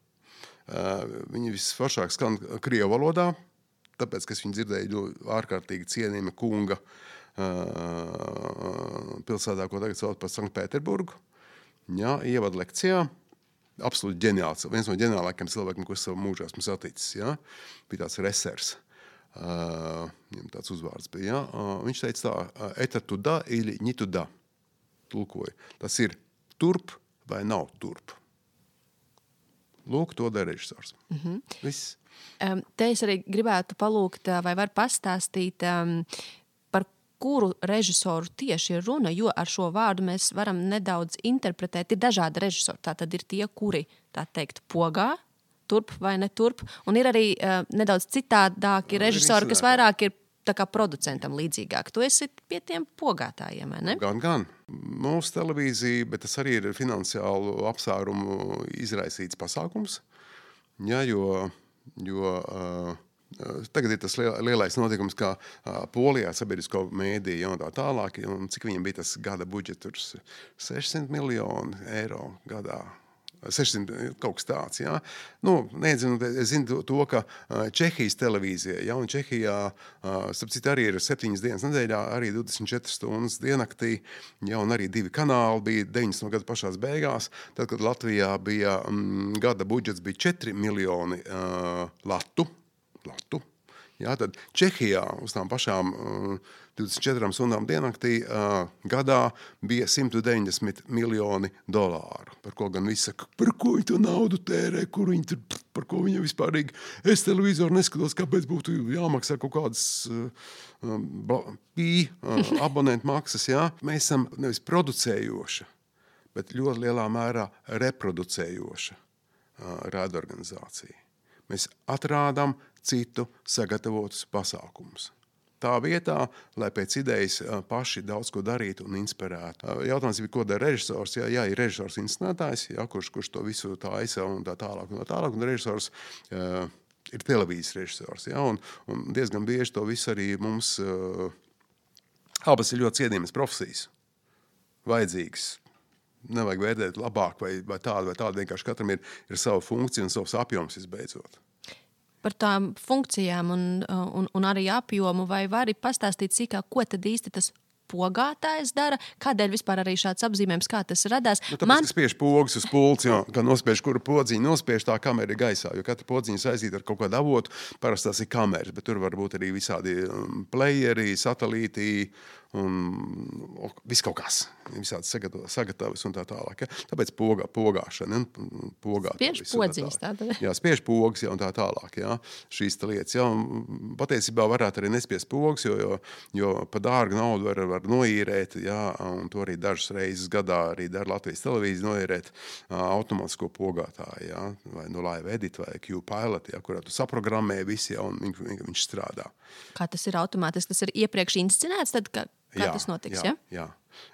Viņi visforšāk skan krievu valodā, tāpēc, ka viņi dzirdēja ārkārtīgi cienījama kunga pilsētā, ko tagad sauc par Sanktpēterburgu. Jā, ievad lekcijā. Absolūti ģeniāls, viens no ģeniālākajiem cilvēkiem, ko es savu mūžā esmu saticis. Jā. Bija tāds resers. Uh, tāds uzvārds bija, ja? uh, viņš teica tā, eta tuda ili ni tuda, tulkoja. Tas ir turp vai nav turp. Lūk, to dara režisors. Mm-hmm. Viss. Um, te es arī gribētu palūgt, vai var pastāstīt, um, par kuru režisoru tieši ir runa, jo ar šo vārdu mēs varam nedaudz interpretēt. Ir dažādi režisori, tā tad ir tie, kuri, tā teikt, pogā, turp vai ne turp, un ir arī uh, nedaudz citādāki režisori, kas vairāk ir tā kā producentam līdzīgāk. Tu esi pie tiem pogātājiem, vai ne? Gan, gan. Mūsu televīzija, bet tas arī ir finansiālu apsvērumu izraisīts pasākums, ja, jo, jo uh, tagad ir tas lielais notikums, kā uh, Polijā sabiedrisko mēdīju un tā tālāk, un cik viņam bija tas gada budžets, sešsimt miljoni eiro gadā. sešsimt kaut kas tāds, jā. Nu, nezinu, es zinu to, ka Čehijas televīzija, ja, un Čehijā, starp citu, arī ir septiņas dienas nedēļā, arī divdesmit četras stundas diennaktī, ja, un arī divi kanāli bija deviņdesmito gadu pašās beigās, tad, kad Latvijā bija mm, gada budžets bija četri miljoni uh, latu, latu, ja, tad Čehijā uz tām pašām uh, divdesmit četrām stundām diennaktī uh, gadā bija simt deviņdesmit miljoni dolāru. Par ko gan visi saka, par ko viņi to naudu tērē, kur viņi tur, par ko viņi vispārīgi. Es televizoru neskatos, kāpēc būtu jāmaksā kaut kādas uh, pī uh, abonentu maksas. Jā. Mēs esam nevis producējoša, bet ļoti lielā mērā reproducējoša uh, raidorganizācija. Mēs atrādām citu sagatavotus pasākumus. tā vietā, lai pēc idejas paši daudz ko darītu un inspirētu. Jautājums bija, ko dara režisors? Jā, jā ir režisors inscenētājs, jā, kurš, kurš to visu taisa un tā tālāk un tā tālāk, un režisors uh, ir televīzijas režisors, jā, un, un diezgan bieži to visu arī mums uh, abas ir ļoti cienījamas profesijas, vajadzīgas. Nevajag vērtēt labāk vai, vai tādu vai tādu, vienkārši katram ir, ir sava funkcija un savs apjoms visbeidzot. Par tām funkcijām un, un, un arī apjomu, vai vari pastāstīt sīkāk, ko tad īsti tas pogātājs dara, kādēļ vispār arī šāds apzīmējums, kā tas radās? Nu, tāpēc, Man... ka spiež pogas uz pults, jo, kā nospiež, kuru podziņu nospiež, tā kamera ir gaisā, jo katra podziņa saistīta ar kaut kādu avotu, parasti tās ir kameras, bet tur var būt arī visādi playeri, satelīti un viss kaut kas, visādi sagatavas un tā tālāk. Ja? Tāpēc pogā, pogāšana, pogāt. Spiež podziņas tāda. Jā, spiež pogas, ja, un tā tālāk, ja? Šīs tā lietas. Ja? Un patiesībā varētu arī nespiest pogas, jo, jo, jo pa dārgu naudu var, var noīrēt, ja? Un to arī dažas reizes gadā arī dara Latvijas televīzija noīrēt automātisko pogātāju, ja? Vai no Live Edit vai Q-Pilot, ja? Kurā tu saprogrammē visi, ja? Un viņš, viņš strādā. Kā tas ir automātiski? Tas ir iepriekš inscenēts, tad kā, kā jā, tas notiks, jā? Ja?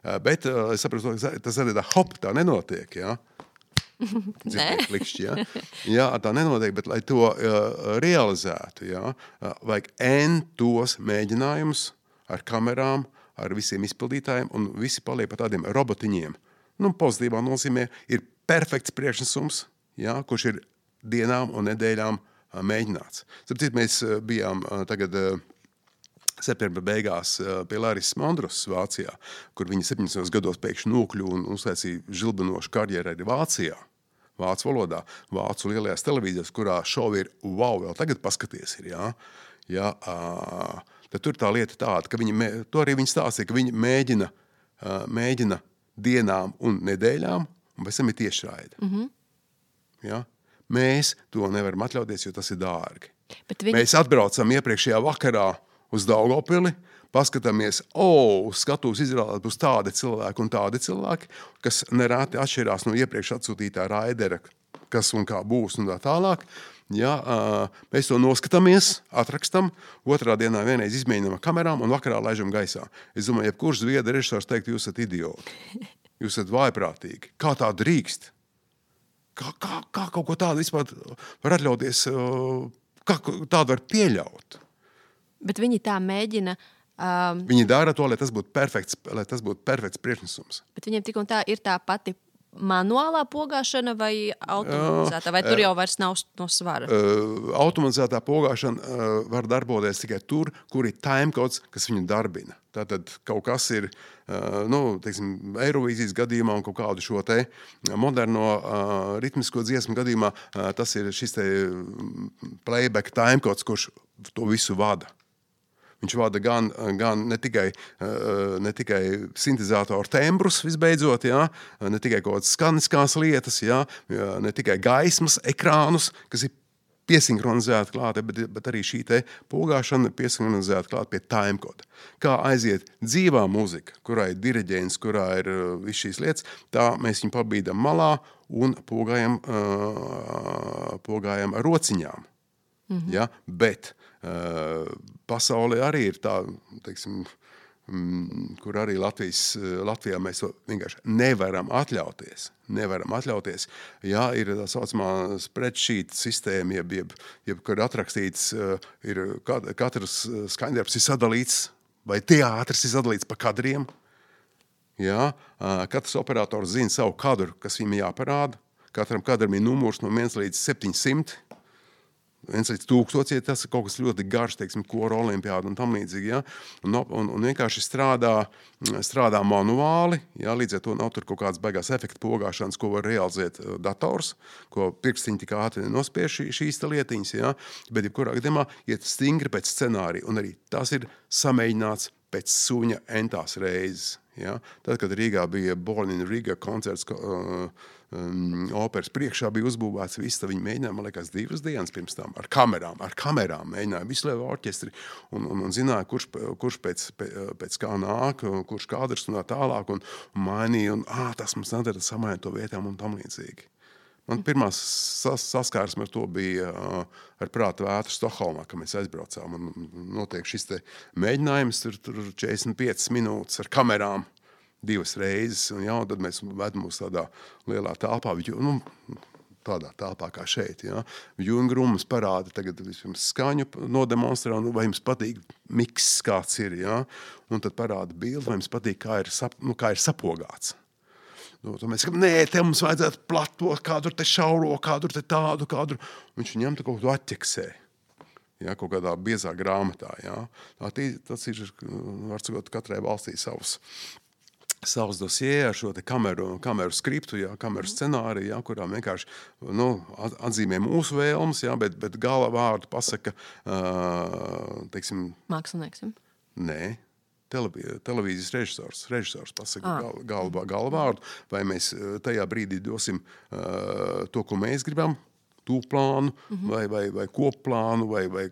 Jā, bet es saprotu, tas arī tā hop, tā nenotiek, jā? Nē. Klikšķi, jā? Jā, tā nenotiek, bet lai to uh, realizētu, jā, uh, vajag N tos mēģinājumus ar kamerām, ar visiem izpildītājiem, un visi paliek pa tādiem robotiņiem. Nu, pozitīvā nozīmē ir perfekts priekšnesums, jā, kurš ir dienām un nedēļām uh, mēģināts. Tāpēc mēs uh, bijām uh, tagad uh, septembra beigās pie Larisas Mandrosas Vācijā, kur viņa septiņdesmitos gados pēkšņi nokļuva un uztaisīja žilbinošu karjeru arī Vācijā, vācu valodā, vācu lielajās televīzijās, kurā šovi ir wow, vēl tagad paskaties ir, jā. Jā, tad tur tā lieta tāda, ka viņi, to arī viņi stāstīja, ka viņi mēģina, mēģina dienām un nedēļām, un pēc tam ir tiešraide. Mm-hmm. Jā. Mēs to nevaram atļauties, jo tas ir dārgi. Bet viņi... Mēs atbraucam iepriekšējā vakarā uz Daugavpili, paskatāmies, o, uz skatuves izrādāt būs tādi cilvēki un tādi cilvēki, kas nereti atšķirās no iepriekš atsūtītā raidera, kas un kā būs un tā tālāk. Ja, mēs to noskatāmies, atrakstam, otrā dienā vienreiz izmēģinām ar kamerām un vakarā laižam gaisā. Es domāju, jebkurš zviedru režisors teikt, jūs esat idioti, jūs esat vājprātīgi. Kā tā drīkst? Kā, kā, kā kaut ko tādu vispār var atļauties, kā tādu var pieļaut? Bet viņi tā mēģina... Um, viņi dara to, lai tas būtu perfekts, lai tas būtu perfekts priekšnesums. Bet viņiem tik un tā ir tā pati manuālā pogāšana vai automatizētā? Vai tur jau vairs nav no svara? Uh, automatizētā pogāšana uh, var darboties tikai tur, kur ir timecodes, kas viņu darbina. Tātad kaut kas ir, uh, nu, teiksim, Eirovīzijas gadījumā un kaut kādu šo te moderno uh, ritmisko dziesmu gadījumā, uh, tas ir šis te playback timecodes, kurš to visu vada. Viņš vada gan, gan ne tikai, ne tikai sintezātoru tembrus visbeidzot, jā, ne tikai kaut kādas skaniskās lietas, jā, ne tikai gaismas, ekrānus, kas ir piesinhronizēti klāt, bet, bet arī šī te pogāšana piesinhronizēta klāt pie timecode. Kā aiziet dzīvā muzika, kurā ir diriģents, kurā ir viss šīs lietas, tā mēs viņu pabīdam malā un pogājam, pogājam ar rociņām. Mm-hmm. Ja? Bet uh, pasaulē arī ir tā, teiksim, mm, kur arī Latvijas, Latvijā mēs to vienkārši nevaram atļauties. Nevaram atļauties. Jā, ir tā saucamā spreadsheet sistēma, jeb, jeb, jeb kur atrakstīts, uh, ir katrs skaņdarbs ir sadalīts, vai teātris ir sadalīts pa kadriem. Jā, uh, katrs operators zina savu kadru, kas viņam jāparāda. Katram kadram ir numurs no viens līdz septiņsimt. viens līdz tūkstots, ja tas ir kaut kas ļoti garš, teiksim, kora olimpiāda un tam līdzīgi, ja? un, un, un vienkārši strādā, strādā manuāli, ja? Līdz ar to nav tur kaut kāds beigās efekta pogāšanas, ko var realizēt dators, ko pirkstiņi tik ātri nospiež šī, šīs lietiņas, ja? Bet jebkurā gadījumā iet stingri pēc scenārija, un arī tas ir samēģināts pēc suņa entās reizes. Ja? Tad, kad Rīgā bija Born in Riga koncerts, uh, um, operas priekšā bija uzbūvēts viss, tad viņi mēģināja, man liekas, divas dienas pirms tam ar kamerām, ar kamerām mēģināja visu lievu orķestri un, un, un zināja, kurš, kurš pēc, pēc kā nāk, kurš kadrs un tā tālāk un, un mainīja, un ā, tas mums nedara samainīt to vietām un tam līdzīgi. Man pirmā sas, saskārsme ar to bija uh, ar prāta vētru Stokholmā, kad mēs aizbraucām. Un notiek šis te mēģinājums, tur, tur četrdesmit piecas minūtes ar kamerām divas reizes. Un, jā, un tad mēs vedam uz tādā lielā telpā, nu, tādā telpā kā šeit. Ja. Jungrums parāda tagad vispirms skaņu nodemonstrē, un vai jums patīk miks, kāds ir. Ja. Un tad parāda bildi, vai jums patīk, kā ir, sap, nu, kā ir sapogāts. Nu, tad mēs sakām, nē, te mums vajadzētu plato, kādu te šauro, kādu te tādu, kādu. Viņš ņem te kaut ko atķeksē. Ja, kaut kādā biezā grāmatā. Ja. Tā, tas ir, var sakot, katrai valstī savs. savus dosie ar šo te kameru, kameru skriptu, jā, kameru scenāriju, jā, kurā vienkārši nu, atzīmē mūsu vēlmes, jā, bet, bet gala vārdu pasaka, uh, teiksim... Mākslinieks, ja? Nē, televī, televīzijas režisors, režisors pasaka ah. gal, gal, gala vārdu, vai mēs tajā brīdī dosim uh, to, ko mēs gribam, tū plānu, mm-hmm. vai, vai, vai kopplānu, vai, vai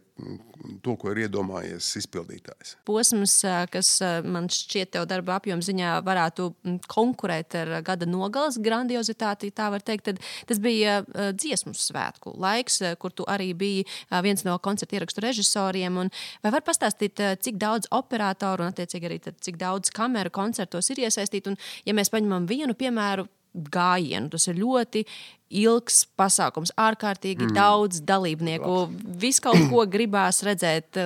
to, ko ir iedomājies izpildītājs. Posms, kas man šķiet tev darba apjoma ziņā varētu konkurēt ar gada nogalas grandiozitāti, tā var teikt, tad tas bija dziesmu svētku laiks, kur tu arī biji viens no koncerta ierakstu režisoriem. Un vai var pastāstīt, cik daudz operatoru un attiecīgi arī tad, cik daudz kameru koncertos ir iesaistīti? Un ja mēs paņemam vienu piemēru, gājienu. Tas ir ļoti ilgs pasākums, ārkārtīgi mm. daudz dalībnieku. Viss kaut ko gribās redzēt.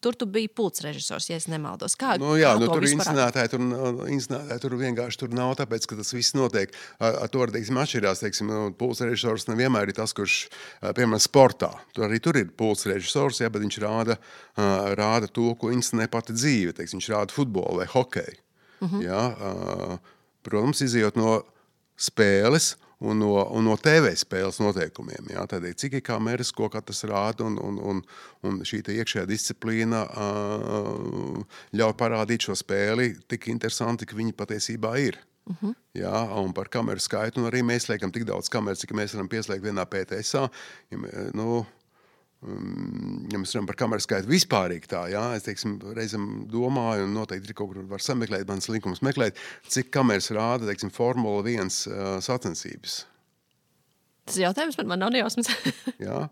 Tur tu biji pults režisors, ja es nemaldos. Kā, nu, jā, kā nu, to tur inscenētāji tur, inscenētāji tur vienkārši tur nav, tāpēc, ka tas viss notiek. Ar, ar to, teiksim, atšķirās, teiksim, pults režisors nevienmēr ir tas, kurš, piemēram, sportā. Tur arī tur ir pults režisors, jā, bet viņš rāda, rāda to, ko inscenē pati dzīve. Teiksim, viņš rāda futbolu vai hokeju. Mm-hmm. Jā, protams, izejot no spēles un no, un no T V spēles noteikumiem. Jā. Tādēļ, cik ir kameras, ko katrs rāda, un, un, un, un šī iekšējā disciplīna uh, ļauj parādīt šo spēli tik interesanti, ka viņi patiesībā ir. Uh-huh. Jā, un par kameru skaitu, un arī mēs liekam tik daudz kameras, cik mēs varam pieslēgt vienā P T S A. Ja, nu, ja mēs runājam par kameru skaitu vispārīgi tā, jā, es teiksim, reizam domāju, un noteikti ir kaut kur var sameklēt, mans linkums meklēt, cik kameras rāda, teiksim, Formula viens uh, sacensības. Tas jautājums man nav nejausmas. Jā.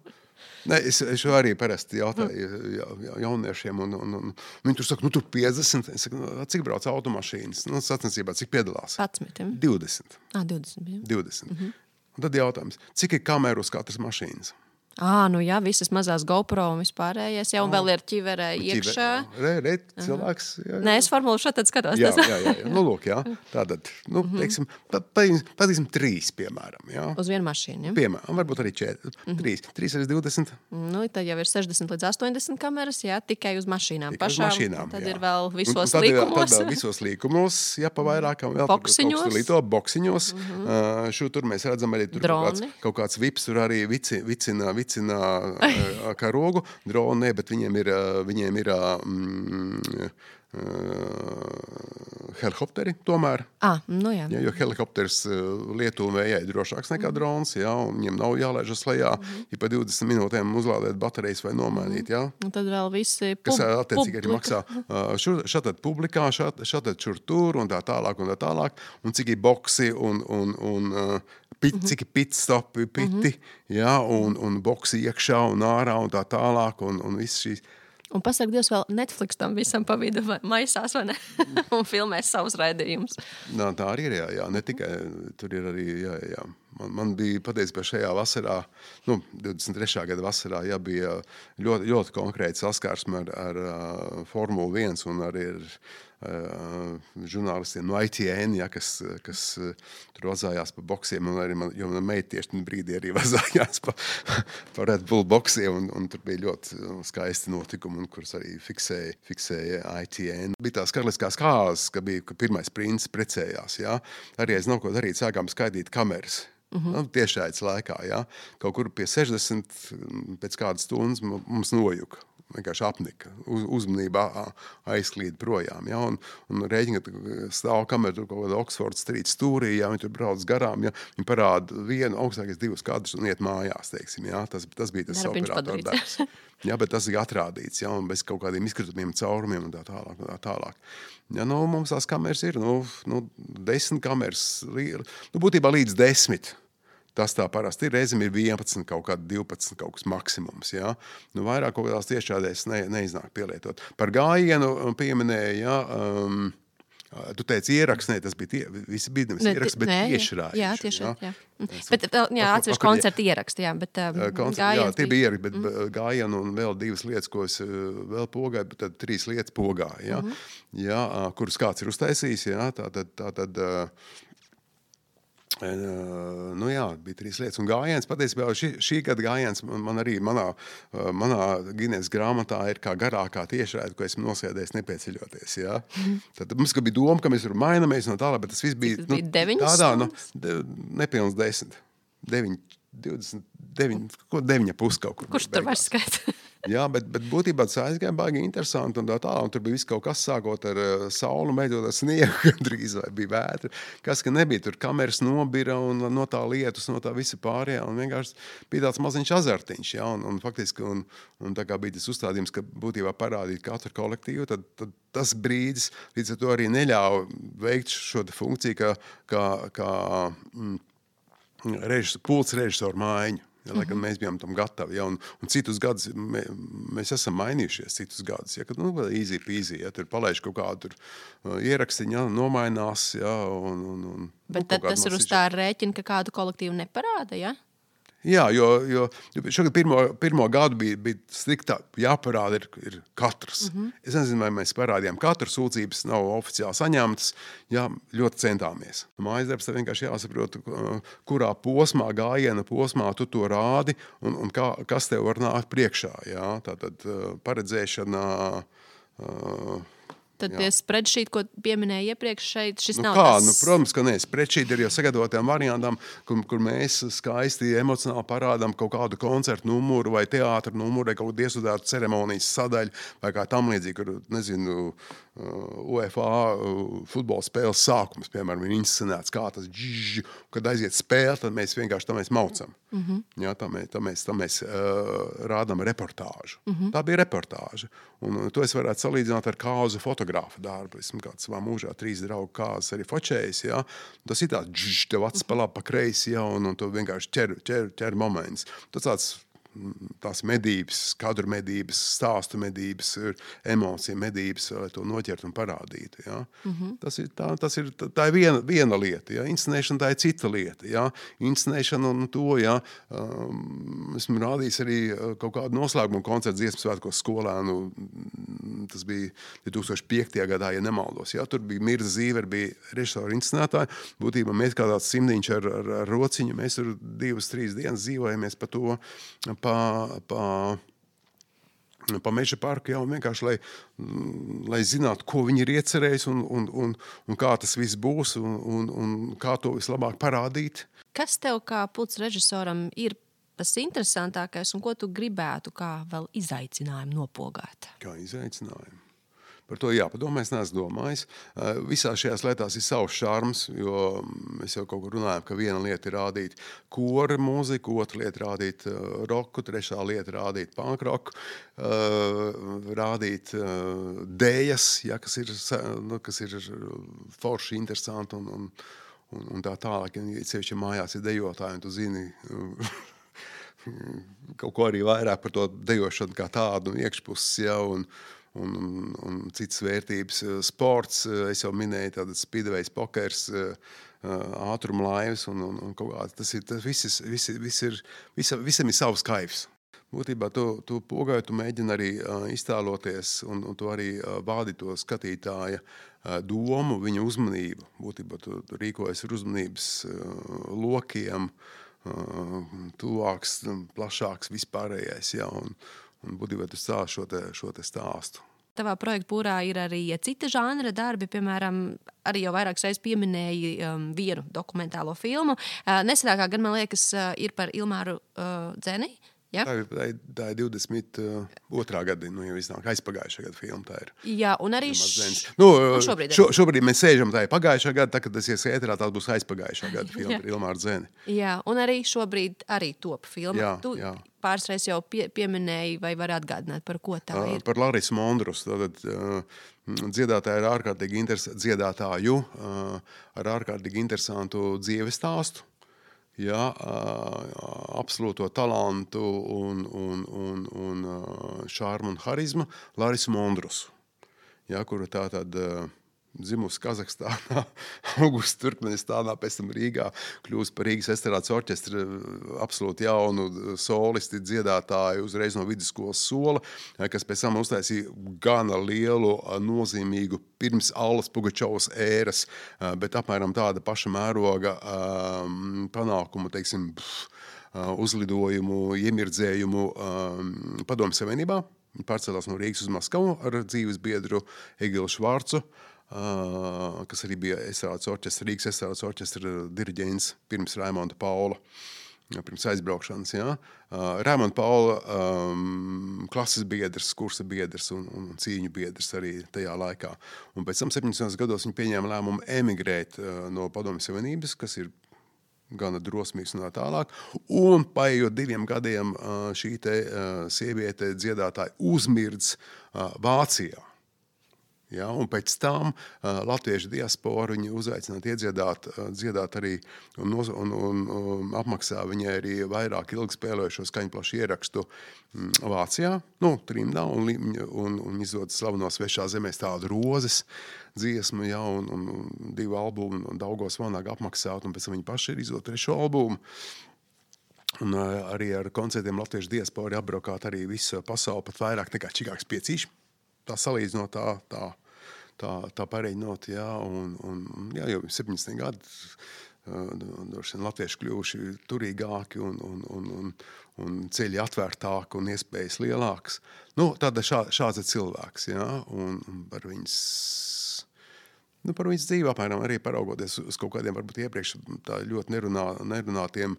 Ne, es, es arī parasti jautāju ja, ja, jauniešiem, un, un, un viņi tur saka, nu tur piecdesmit, es saku, cik brauc automašīnas, nu sacensībā, cik piedalās? padsmit. divdesmit. Ah, divdesmit. divdesmit. Mm-hmm. Un tad jautājums, cik ir kameru uz katras mašīnas? Ā, nu jā, visas mazās GoPro un vispārējais, jā, un vēl ir ķiverē iekšā. Re, re, cilvēks. Jā, jā. Nē, es formulu šādi skatos. Jā, jā, jā, jā. Nu, lūk, jā. Tātad, nu, teiksim, patīsim trīs, piemēram, jā. Uz vienu mašīnu, jā? Piemēram, varbūt arī četri. Mm-hmm. Trīs. Trīs arī divdesmit. Nu, tad jau ir sešdesmit līdz astoņdesmit kameras, jā, tikai uz mašīnām. Tikai pašām. Uz mašīnām, tad jā. ir vēl visos tad, līkumos. Tad visos līkumos, jā, pa vairākam vēl. Boksiņos. Līto, boksiņos. Mm-hmm. Uh, šo tur mēs redzam arī tur kaut kāds, kaut kāds vips, tur arī vici, vicina, vicina karogu, droni, ne, bet viņiem ir, viņiem ir mm, uh, helikopteri tomēr. Ah, nu jā. Ja, jo helikopters lietu un vējai drošāks nekā drons, ja, un viņiem nav jālaižas lejā, mm-hmm. ja pa divdesmit minūtēm uzlādēt baterijas vai nomainīt. Ja. Un tad vēl visi pub- kas attiecīgi arī publika. maksā šur, šatad publikā, šat, šatad šur tur un tā tālāk un tā tālāk, un cik ir boksi un, un, un pit, mm-hmm. cik ir pitstopi, piti, mm-hmm. ja, un, un boksi iekšā un ārā un tā tālāk, un, un viss šīs. Un pasaka, Dievs, vēl Netflix tam visam pa vidu maisās, vai ne? Un filmēs savus raidījumus. Nā, tā arī ir, jā, jā, ne tikai, tur ir arī, jā, jā. Man, man bija patiesībā šajā vasarā, nu, divdesmit trešā gada vasarā, jā, bija ļoti, ļoti konkrēti saskarsme ar, ar uh, Formulu viens un arī ar uh, žurnālistiem no I T N, jā, kas, kas uh, tur vazājās pa boksiem, un arī man, jo man meita tieši brīdī arī vazājās pa, pa Red Bull boksiem, un, un tur bija ļoti skaisti notikumi, un kurus arī fiksēja, fiksēja I T N. Bija tās karaliskās kāzas, ka bija, ka pirmais princis precējās, jā. Arī es nav ko darīt, sākām skaidīt kameras. Mm-hmm. Nu, tiešāids laikā, jā. Kaut kur pie sešdesmit pēc kādas stundas mums nojuka. Vienkārši apnika, uz, uzmanībā aizklīd projām, jā, un, un rēķina, ka stāv kameru tur kaut kāda Oxford Street stūrī, jā, viņi tur brauc garām, jā, viņi parāda vienu, augstākais divus kadrus un iet mājās, teiksim, jā, tas, tas bija tas operatora darbs. Jā, bet tas ir atrādīts, jā, un bez kaut kādiem izkritumiem, caurumiem un tā tālāk, un tā tālāk. Jā, nu, mums tās kameras ir, nu, nu desmit kameras, nu, būtībā līdz desmit. Tas tā parasti ir. Reizēm ir vienpadsmit, kaut kāda divpadsmit, kaut kas maksimums. Ja? Nu, vairāk kaut kādās tiešādēs ne, neiznāk pielietot. Par gājienu pieminēja, ja, um, tu teici ieraksts, ne, tas bija tie, visi bija nevis ieraksts, bet tiešrājuši. Jā, tiešrājuši, jā. jā. Bet, jā, atsevišķi koncerti ieraksti, jā, bet um, Koncert, jā, tie bija ieraksti, bet mm. gājienu un vēl divas lietas, ko es vēl pogāju, bet tad trīs lietas pogāju, ja? Mm -hmm. Jā, kuras kāds ir uztaisījis, jā, tā tad, tā tad nu jā, bija trīs lietas. Un gājiens, patiesībā šī, šī gada gājiens man, man arī manā, manā Gineses grāmatā ir kā garākā tiešraide, ko esmu nosēdējis nepieceļoties. Ja? Mm. Tad mums bija doma, ka mēs tur mainamies no tālāk, bet tas viss bija, tas bija nu, tādā, nu, de, nepilns desmit, deviņi, divdesmit, deviņi, ko deviņa pus kaut kur. Kurš tur vairs skaita? Jā, bet, bet būtībā tas aizgāja baigi interesanti un tā tā, un tur bija viss kaut kas sākot ar uh, saulu, beidzot ar sniegu, drīz vai bija vētra, kas, ka nebija tur kameras nobira un no tā lietus, no tā visa pārējā, un vienkārši bija tāds maziņš azartiņš, jā, un, un faktiski, un, un tā kā bija tas uzstādījums, ka būtībā parādīt katru kolektīvu, tad, tad tas brīdis līdz ar to arī neļāva veikt šo funkciju, kā, kā, kā mm, režis, pults režisoru mājiņu. Ja, lai gan mēs bijām tam gatavi, ja, un, un citus gadus mē, mēs esam mainījušies, citus gadus, ja, kad, nu, easy peasy, ja, tur palaiž kaut kādu tur uh, ierakstiņu, ja, nomainās, ja, un, un, un bet tad tas ir uz tā rēķina, ka kādu kolektīvu neparāda, ja? Jā, jo, jo šogad pirmo, pirmo gadu bija, bija striktā jāparāda ir, ir katrs. Mm -hmm. Es nezinu, vai mēs parādījām katru, sūdzības nav oficiāli saņemtas, jā, ļoti centāmies. Mājas darbs tev vienkārši jāsaprot, kurā posmā, gājiena posmā tu to rādi un, un kā, kas tev var nākt priekšā. Jā? Tātad paredzēšana... Uh, Tad tie spreadsheet, ko pieminēja iepriekš šeit, šis nu nav kā, tas... Nu, protams, ka nē, spreadsheet ir jau sagatavotām variantām, kur, kur mēs skaisti emocionāli parādām kaut kādu koncertu numuru vai teātra numuru, vai kaut kādu iestudētu ceremonijas sadaļu, vai kā tam līdzīgi, kur, nezinu, U F A futbola spēles sākums, piemēram, ir inscenēts, kā tas džž, kad aiziet spēle, tad mēs vienkārši tā mēs maucam. Mm-hmm. Jā, tā mēs, tā mēs, tā mēs uh, rādām reportāžu. Mm-hmm. Tā bija reportāža. Un to es varētu salīdzināt ar kāzu fotogrāfa darbu. Esmu kāds savā mūžā trīs draugu kāzas arī fočējis, jā. Tas ir tāds džž, tev acis pa labi, pa kreisi, jā, un, un tu vienkārši ķer, ķer, ķer moments. Tas tāds tās medības, kadru medības, stāstu medības, emociju medības, lai to noķert un parādītu. Ja? Mm-hmm. Tas ir, tā, tas ir, tā ir viena, viena lieta. Ja? Inscenēšana tā ir cita lieta. Ja? Inscenēšana un to, ja, um, esmu rādījis arī kaut kādu noslēgumu koncertu dziesmu svētkos skolēnu. Tas bija divtūkstoš piektajā gadā, ja nemaldos. Ja? Tur bija Mirza Zīver, bija režisori inscenētāji. Būtībā mēs kā tāds simdiņš ar, ar, ar rociņu, mēs tur divas, trīs dienas dzīvojamies pa to, pa, pa, pa meža parku, jā, un vienkārši, lai, lai zinātu, ko viņi ir iecerējis un, un, un, un kā tas viss būs un, un, un kā to vislabāk parādīt. Kas tev kā pults režisoram ir tas interesantākais un ko tu gribētu kā vēl izaicinājumu nopogāt? Kā izaicinājumu? Par to jāpadomā, es neesmu domājis. Visās šajās lietās ir savs šarms, jo mēs jau kaut kur runājam, ka viena lieta ir rādīt kora mūziku, otra lieta rādīt roku, trešā lieta rādīt punk roku, rādīt dējas, ja, kas ir, nu, kas ir forši, interesanti un, un, un, un tā tālāk. Ja sevišķi mājās ir dejotāji, un tu zini kaut ko arī vairāk par to dejošanu kā tādu un iekšpuses, ja, un Un, un, un citas vērtības. Sports, es jau minēju, tādas speedways, pokers, ātruma laivas un, un, un kaut kā. Tas ir, tas viss, viss, viss ir, visa, visam ir savs kaifs. Būtībā tu, tu pogāju, tu mēģini arī uh, iztēloties un, un tu arī uh, vādi to skatītāja uh, domu, viņa uzmanību. Būtībā tu, tu rīkojies ar uzmanības uh, lokiem, uh, tuvāks, plašāks, vispārējais, ja, un un būtībā tu stāst šo te, šo te stāstu. Tavā projekta pūrā ir arī cita žanra darbi, piemēram, arī jau vairākas reizes pieminēji um, vienu dokumentālo filmu. Uh, nesenākā gan, man liekas, uh, ir par Ilmāru uh, Dzeni. Ja? Tā, ir, tā, ir, tā ir divdesmit otrā gada, nu jau iznāk aizpagājušā gada filma, tā ir. Jā, un arī š... nu, un šobrīd, šo, šobrīd mēs sēžam, tā ir pagājušā gada, tā, kad tas ies ēterā, tā būs aizpagājušā gada filma par Ilmāru Dzeni. Jā, un arī šobrīd arī top filma. Jā, tu jā. Pāris reizes jau pie, pieminēji vai var atgādināt, par ko tā ir? Par Larisu Mondrus. Tātad, dziedātāja ir ārkārtīgi interesantu, dziedātāju ar ārkārtīgi interesantu dzīves stāstu. Jā, absolūto talantu un, un, un, un šārmu un harizmu Larisu Mondrusu, jā, kuru tā tad dzimusi Kazahstānā, augusi Turkmenistānā, pēc tam Rīgā, kļūst par Rīgas estrādes orķestra absolūti jaunu solisti, dziedātāju uzreiz no vidusskolas sola, kas pēc tam uztaisīja gana lielu, nozīmīgu pirms Allas Pugačovas ēras, bet apmēram tāda paša mēroga panākumu, teiksim, uzlidojumu, iemirdzējumu Padomju Savienībā. Viņi pārcēlās no Rīgas uz Maskavu ar dzīves biedru Egilu Švārcu, kas arī bija estrādes orķestra, Rīgas estrādes orķestra diriģents pirms Raimonda Paula, pirms aizbraukšanas. Ja. Raimonda Paula um, klases biedrs, kursa biedrs un, un cīņu biedrs arī tajā laikā. Un pēc tam septiņdesmitajos gados viņi pieņēma lēmumu emigrēt uh, no Padomju Savienības, kas ir gana drosmīgs un tā tālāk. Un paejot diviem gadiem uh, šī te uh, sieviete dziedātāja uzmirdz uh, Vācijā. Ja, un pēc tam uh, latviešu diaspora viņu uzaicināja iedziedāt, uh, dziedāt arī un, un, un, un apmaksā viņai arī vairāk ilgi spēlējušo skaņplašu ierakstu um, Vācijā, nu, trimdā, un, un, un izdod slaveno Svešā zemēs tādu rozes dziesmu, ja, un, un, un divu albumu, un Daugavas Vanāga apmaksāt, un pēc tam viņi paši ir izdod trešo albumu. Un uh, arī ar koncertiem latviešu diaspori apbraukāt arī visu pasauli, pat vairāk nekā Čikāgas piecīši. Tā salīdzinot tā, tā, tā, tā pareiņot, jā, un, un jā, jau septiņdesmit gadi uh, latvieši kļuvuši turīgāki un, un, un, un, un ceļi atvērtāki un iespējas lielākas. Nu, tāda šā, šāds ir cilvēks, jā, un, un par viņas, nu, par viņas dzīvi apmēram arī paraugoties uz kaut kādiem, varbūt iepriekš tā ļoti nerunā, nerunātiem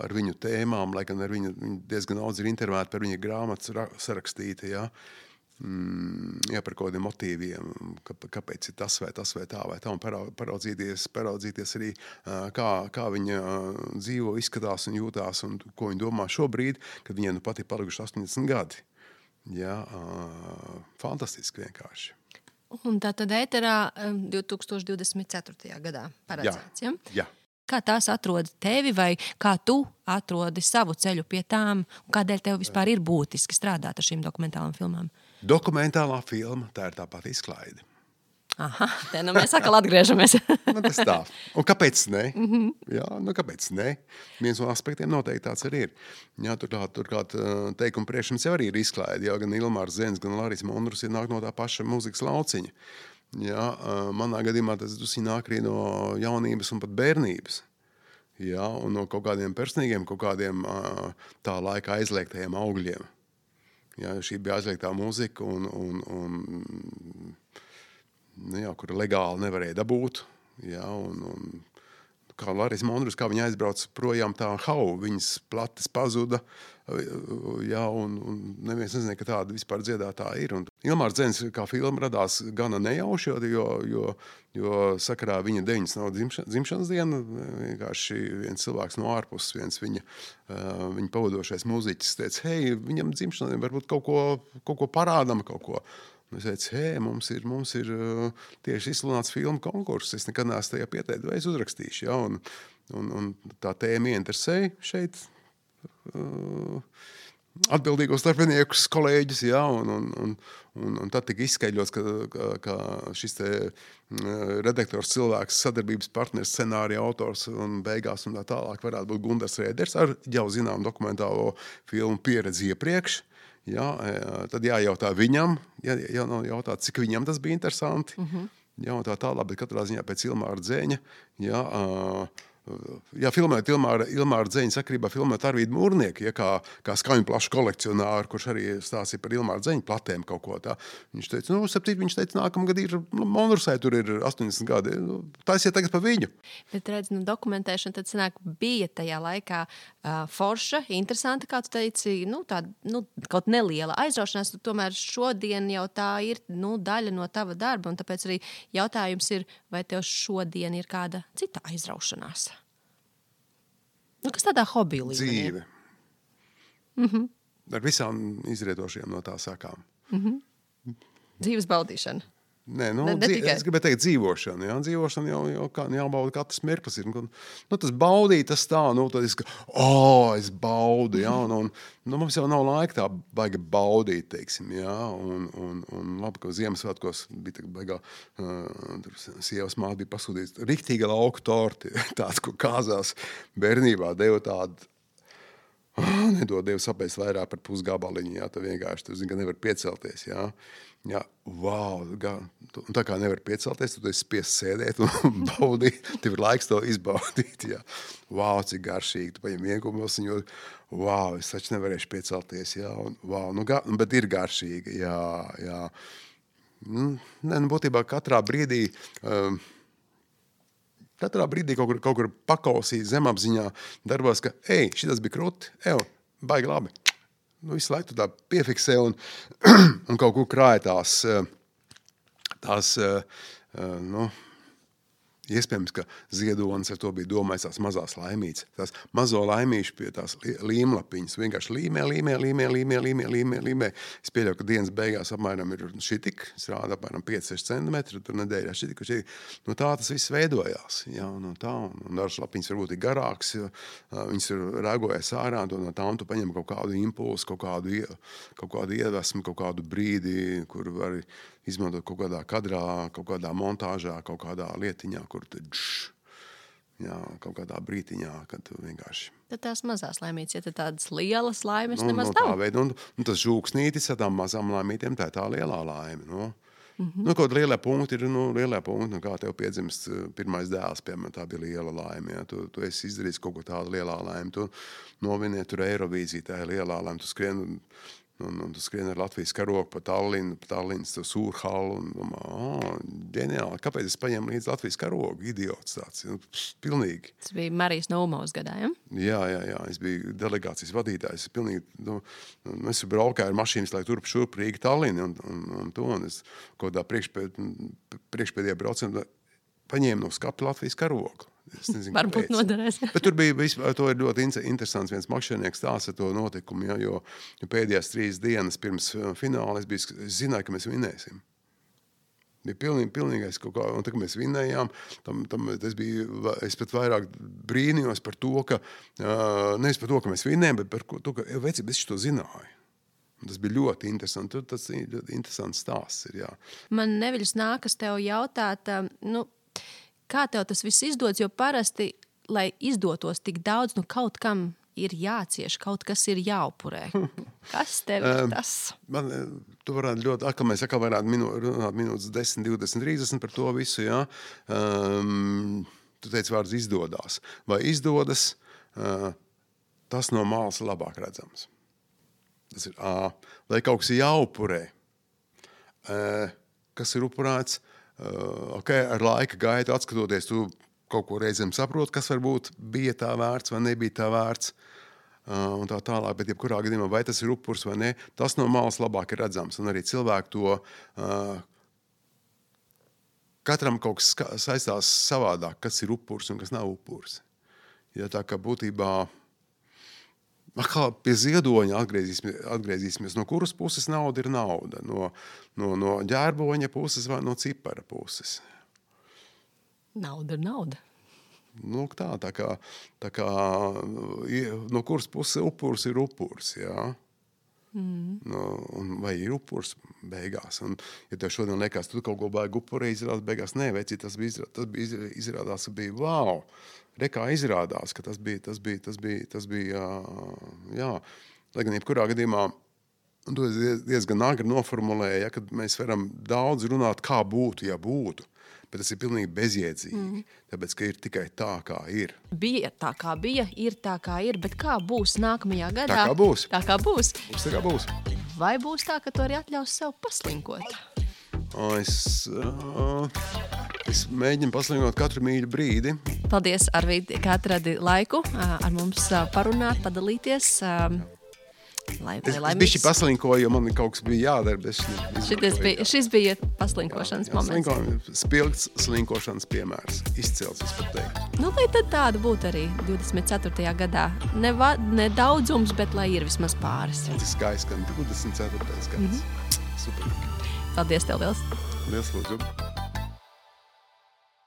ar viņu tēmām, lai gan ar viņu, viņu diezgan daudz ir intervēti par viņa grāmatas sarakstīta, jā. Mm, jā, par kaut kādiem motīviem, ka, kāpēc ir tas vai tas vai tā vai tā, un paraudzīties, paraudzīties arī, kā, kā viņa dzīvo, izskatās un jūtās, un ko viņa domā šobrīd, kad viņai nu pat ir palikuši astoņdesmit gadi. Jā, fantastiski vienkārši. Un tā tad ēterā divi tūkstoši divdesmit ceturtajā gadā paredzēts, ja? Jā. Kā tās atrod tevi vai kā tu atrodi savu ceļu pie tām, un kādēļ tev vispār ir būtiski strādāt ar šīm dokumentālām filmām? Dokumentālā filma, tā ir tāpat izklaide. Aha, te nu mēs atkal atgriežamies. Nu, tas tā. Un kāpēc ne? Mm-hmm. Jā, nu kāpēc ne? Viens no aspektiem noteikti tāds arī ir. Jā, turklāt, turklāt teikuma priekšums jau arī ir izklaide. Jā, gan Ilmārs Zens, gan Larisa Mondrus ir nāk no tā paša mūzikas lauciņa. Jā, manā gadījumā tas nāk arī no jaunības un pat bērnības. Jā, un no kaut kādiem personīgiem, kaut kādiem tā laika aizliegtajiem augļiem. Jā, šī bija aizliegtā mūzika, un, un, un, nu jā, kur legāli nevarēja dabūt. Jā, un, un, kā Larisa Mondrus, kā viņa aizbrauc projām, tā hau, viņas plates pazuda, jā, un, un neviens nezināja, ka tāda vispār dziedātāja ir. Un Ilmārs Dzens kā filma radās gana nejauši, jo, jo, jo sakarā viņa deviņdesmit dzimšanas diena, vienkārši viens cilvēks no ārpuses, viens viņa, viņa pavadošais mūziķis teica, hei, viņam dzimšanai varbūt kaut ko, kaut ko parādam, kaut ko. Un es teicu, hei, mums ir, mums ir tieši izsludināts filmu konkurss, es nekad neesmu tajā pieteikt, vai es uzrakstīšu, ja, un, un, un tā tēma ieinteresēja šeit uh, atbildīgos darbiniekus, kolēģis, ja, un, un, un, un, un tad tika izskaidrots, ka, ka, ka šis te redaktors cilvēks, sadarbības partners, scenārija autors un beigās un tā tālāk varētu būt Gundars Rēders ar jau zinām dokumentālo filmu pieredzi iepriekš. Jā, tad jājautā viņam, jā, jājautā, cik viņam tas bija interesanti. Uh-huh. Jā, un tā tālāk, bet katrā ziņā pēc Ilmāra Dzeņa. Jā, jā filmēt Ilmāra, Ilmāra Dzeņa sakarībā filmēt Arvīdu Mūrnieku, ja, kā, kā skaņu plašu kolekcionāru, kurš arī stāstīja par Ilmāra Dzeņa platēm kaut ko tā. Viņš teica, nu, saptīt, viņš teica, nākamgad ir, nu, Monrusai tur ir astoņdesmit gadi. Nu, taisiet tagad pa viņu. Bet redz, nu, dokumentēšana tad sanāk bija tajā laikā uh, forša, interesanta, kā tu teici, nu, tā, nu, kaut neliela aizraušanās, tomēr šodien jau tā ir, nu, daļa no tava darba, un tāpēc arī jautājums ir, vai tev šodien ir kāda cita aizraušanās? Nu, kas tādā hobija līmenī? Dzīve. Mm-hmm. Ar visām izrietošajām no tā sakām. Mm-hmm. Dzīves baudīšana. Nē, nu, Ne- ne dzīv, tikai. es gribēju teikt dzīvošana, jā, dzīvošana jau, jau kā, jābauda katrs mirklis ir. Nu, tas baudīt, tas tā, nu, tad es, ka, o, es baudu, jā, un, un nu, mums jau nav laika tā baigi baudīt, teiksim, jā, un, un, un labi, ka Ziemassvētkos bija tā baigā, uh, tur sievas māte bija pasūdīts, riktīga lauku torti, tāds, ko kāzās bērnībā, deva tādu, oh, nedod Dievu sapēst vairāk par pusgabaliņu, jā, tu vienkārši, tu zini, ka nevar piecelties, jā. Jā, wow, un tā kā nevar piecelties, tad tu esi spiests sēdēt un baudīt, tev ir laiks to izbaudīt, jā. Wow, cik garšīgi, tu paņem vienkumos, un jo, wow, es taču nevarēšu piecelties, jā, un wow, nu, ga, bet ir garšīgi, jā, jā. Ne, nu, būtībā katrā brīdī, um, katrā brīdī kaut kur, kaut kur pakausīt zemapziņā darbos, ka, ej, šitas bija krūti, ev, baigi labi. Nu, visu laiku tu tā piefiksē un, un kaut kur krāja tās, tās nu, iespējams, ka ziedonis ar to bija domājis tās mazās laimītes. Tās mazo laimīšu pie tās līmlapiņas vienkārši līmē, līmē, līmē, līmē, līmē, līmē, līmē. Es pieļauju, ka dienas beigās apmēram ir šitik, es rādu apmēram pieci seši centimetri, tur nedēļā šitik, šitik. Nu, tā tas viss veidojās. Jā, no tā, un dažas lapiņas varbūt ir garāks, viņas ir rēgojas ārā, un no tām tu paņem kaut kādu impulsu, kaut kādu, kaut kādu iedvesmu, kaut kādu brīdi, kur var izmantot kaut kādā kadrā, kaut kādā montāžā, kaut kādā lietiņā, kur tu dž, jā, kaut kādā brītiņā, kad tu vienkārši... Tad tās mazās laimītes, ja tad tādas lielas laimes nu, nemaz no nav. Veida, un, un tas žūksnītis ar tām mazām laimītiem, tā ir tā lielā laime. Nu, mm-hmm. nu kaut lielie punkti ir, nu, lielie punkti, nu, kā tev piedzimst pirmais dēls, piemēram, tā bija liela laime, ja? tu, tu esi izdarījis kaut ko tādu lielā laime, tu noviniet tur Eirovīziju, tā ir lielā laime, tu skrien... Un, un tu skrien ar Latvijas karogu pa Tallinu, pa Tallinas Sūrhalu, un domā, oh, ģeniāli, kāpēc es paņēmu līdz Latvijas karogu? Idiots tāds, nu, pilnīgi. Tas bija Marijas Naumovas gadā, ja? Jā, jā, jā, es biju delegācijas vadītājs, es pilnīgi, nu, es braukāju ar mašīnas, lai turp šurp Rīga Tallini, un, un, un to, un es kaut kādā priekšpēd, priekšpēdējā braucienā paņēmu no skapa Latvijas karogu. Nezinu, varbūt noderēs. Bet tur bija, vispār, to ir ļoti interesants viens makšķernieks stāsts ar to notikumu, ja, jo, jo pēdējās trīs dienas pirms fināla es, biju, es zināju, ka mēs vinēsim. Bija pilnīgi, pilnīgais kaut kā, un tā, ka mēs vinējām, tam, tam es, biju, es pat vairāk brīnījos par to, ka, uh, nevis par to, ka mēs vinējām, bet par to, ka, veci, es šo zināju. Un tas bija ļoti interesanti. Tur tas ļoti interesants stāsts ir, jā. Man neviļus nākas tev jautāt, nu, kā tev tas viss izdodas, jo parasti, lai izdotos tik daudz, nu kaut kam ir jācieš, kaut kas ir jāupurē. Kas tev ir tas? Man, tu varētu ļoti, atkal mēs atkal varētu minū, runāt minūtes desmit, divdesmit, trīsdesmit par to visu, jā. Um, tu teici vārds izdodās. Vai izdodas, uh, tas no malas labāk redzams. Tas ir A. Vai kaut kas ir jāupurē. Uh, kas ir upurēts? Uh, okay, ar laika gaitu atskatoties, tu kaut ko reizēm saproti, kas varbūt bija tā vērts vai nebija tā vērts, uh, un tā tālāk, bet jebkurā gadījumā, vai tas ir upurs vai ne, tas no malas labāk ir redzams, un arī cilvēki to, uh, katram kaut kas saistās savādāk, kas ir upurs un kas nav upurs. Ja tā kā būtībā, kā pie ziedoņa atgriezīsimies, atgriezīsimies, no kuras puses nauda ir nauda, no, no, no ģērboņa puses vai no cipara puses. Nauda ir nauda. Nu, tā, tā kā, tā kā no kuras puses upurs ir upurs, jā. Mm. No, un vai ir upurs beigās. Un, ja tev šodien liekas, tu kaut ko baigi upurē izrādās beigās, nē, veci, tas bija, izrādās, tas bija izrādās, ka bija, wow, rekā izrādās, ka tas bija, tas bija, tas bija, tas bija, jā, lai gan jebkurā gadījumā, un to diezgan agri noformulēja, ja, kad mēs varam daudz runāt, kā būtu, ja būtu, bet tas ir pilnīgi bezjēdzīgi, mm. tāpēc, ka ir tikai tā, kā ir. Bija tā, kā bija, ir tā, kā ir, bet kā būs nākamajā gadā? Tā kā būs. Tā kā būs. Būs tā kā būs. Vai būs tā, ka tu arī atļaus sev paslinkot? O, es, uh, es mēģinu paslinkot katru mīļu brīdi. Paldies, Arvīd, ka atradi laiku ar mums parunāt, padalīties. Lai, es es bišķi paslinkoju, jo man kaut kas bija jādara. Šities bija, šis bija paslinkošanas jā, jā, moments. Slinko, spilgts slinkošanas piemērs. Izcils, es pat teiktu. Nu, lai tad tāda būtu arī divdesmit ceturtajā gadā. Ne, va, ne daudzums, bet lai ir vismaz pāris. Tas ir skaisti, ka divdesmit ceturtais gads. Mm-hmm. Super. Paldies tev, Vils. Liels lūdzu.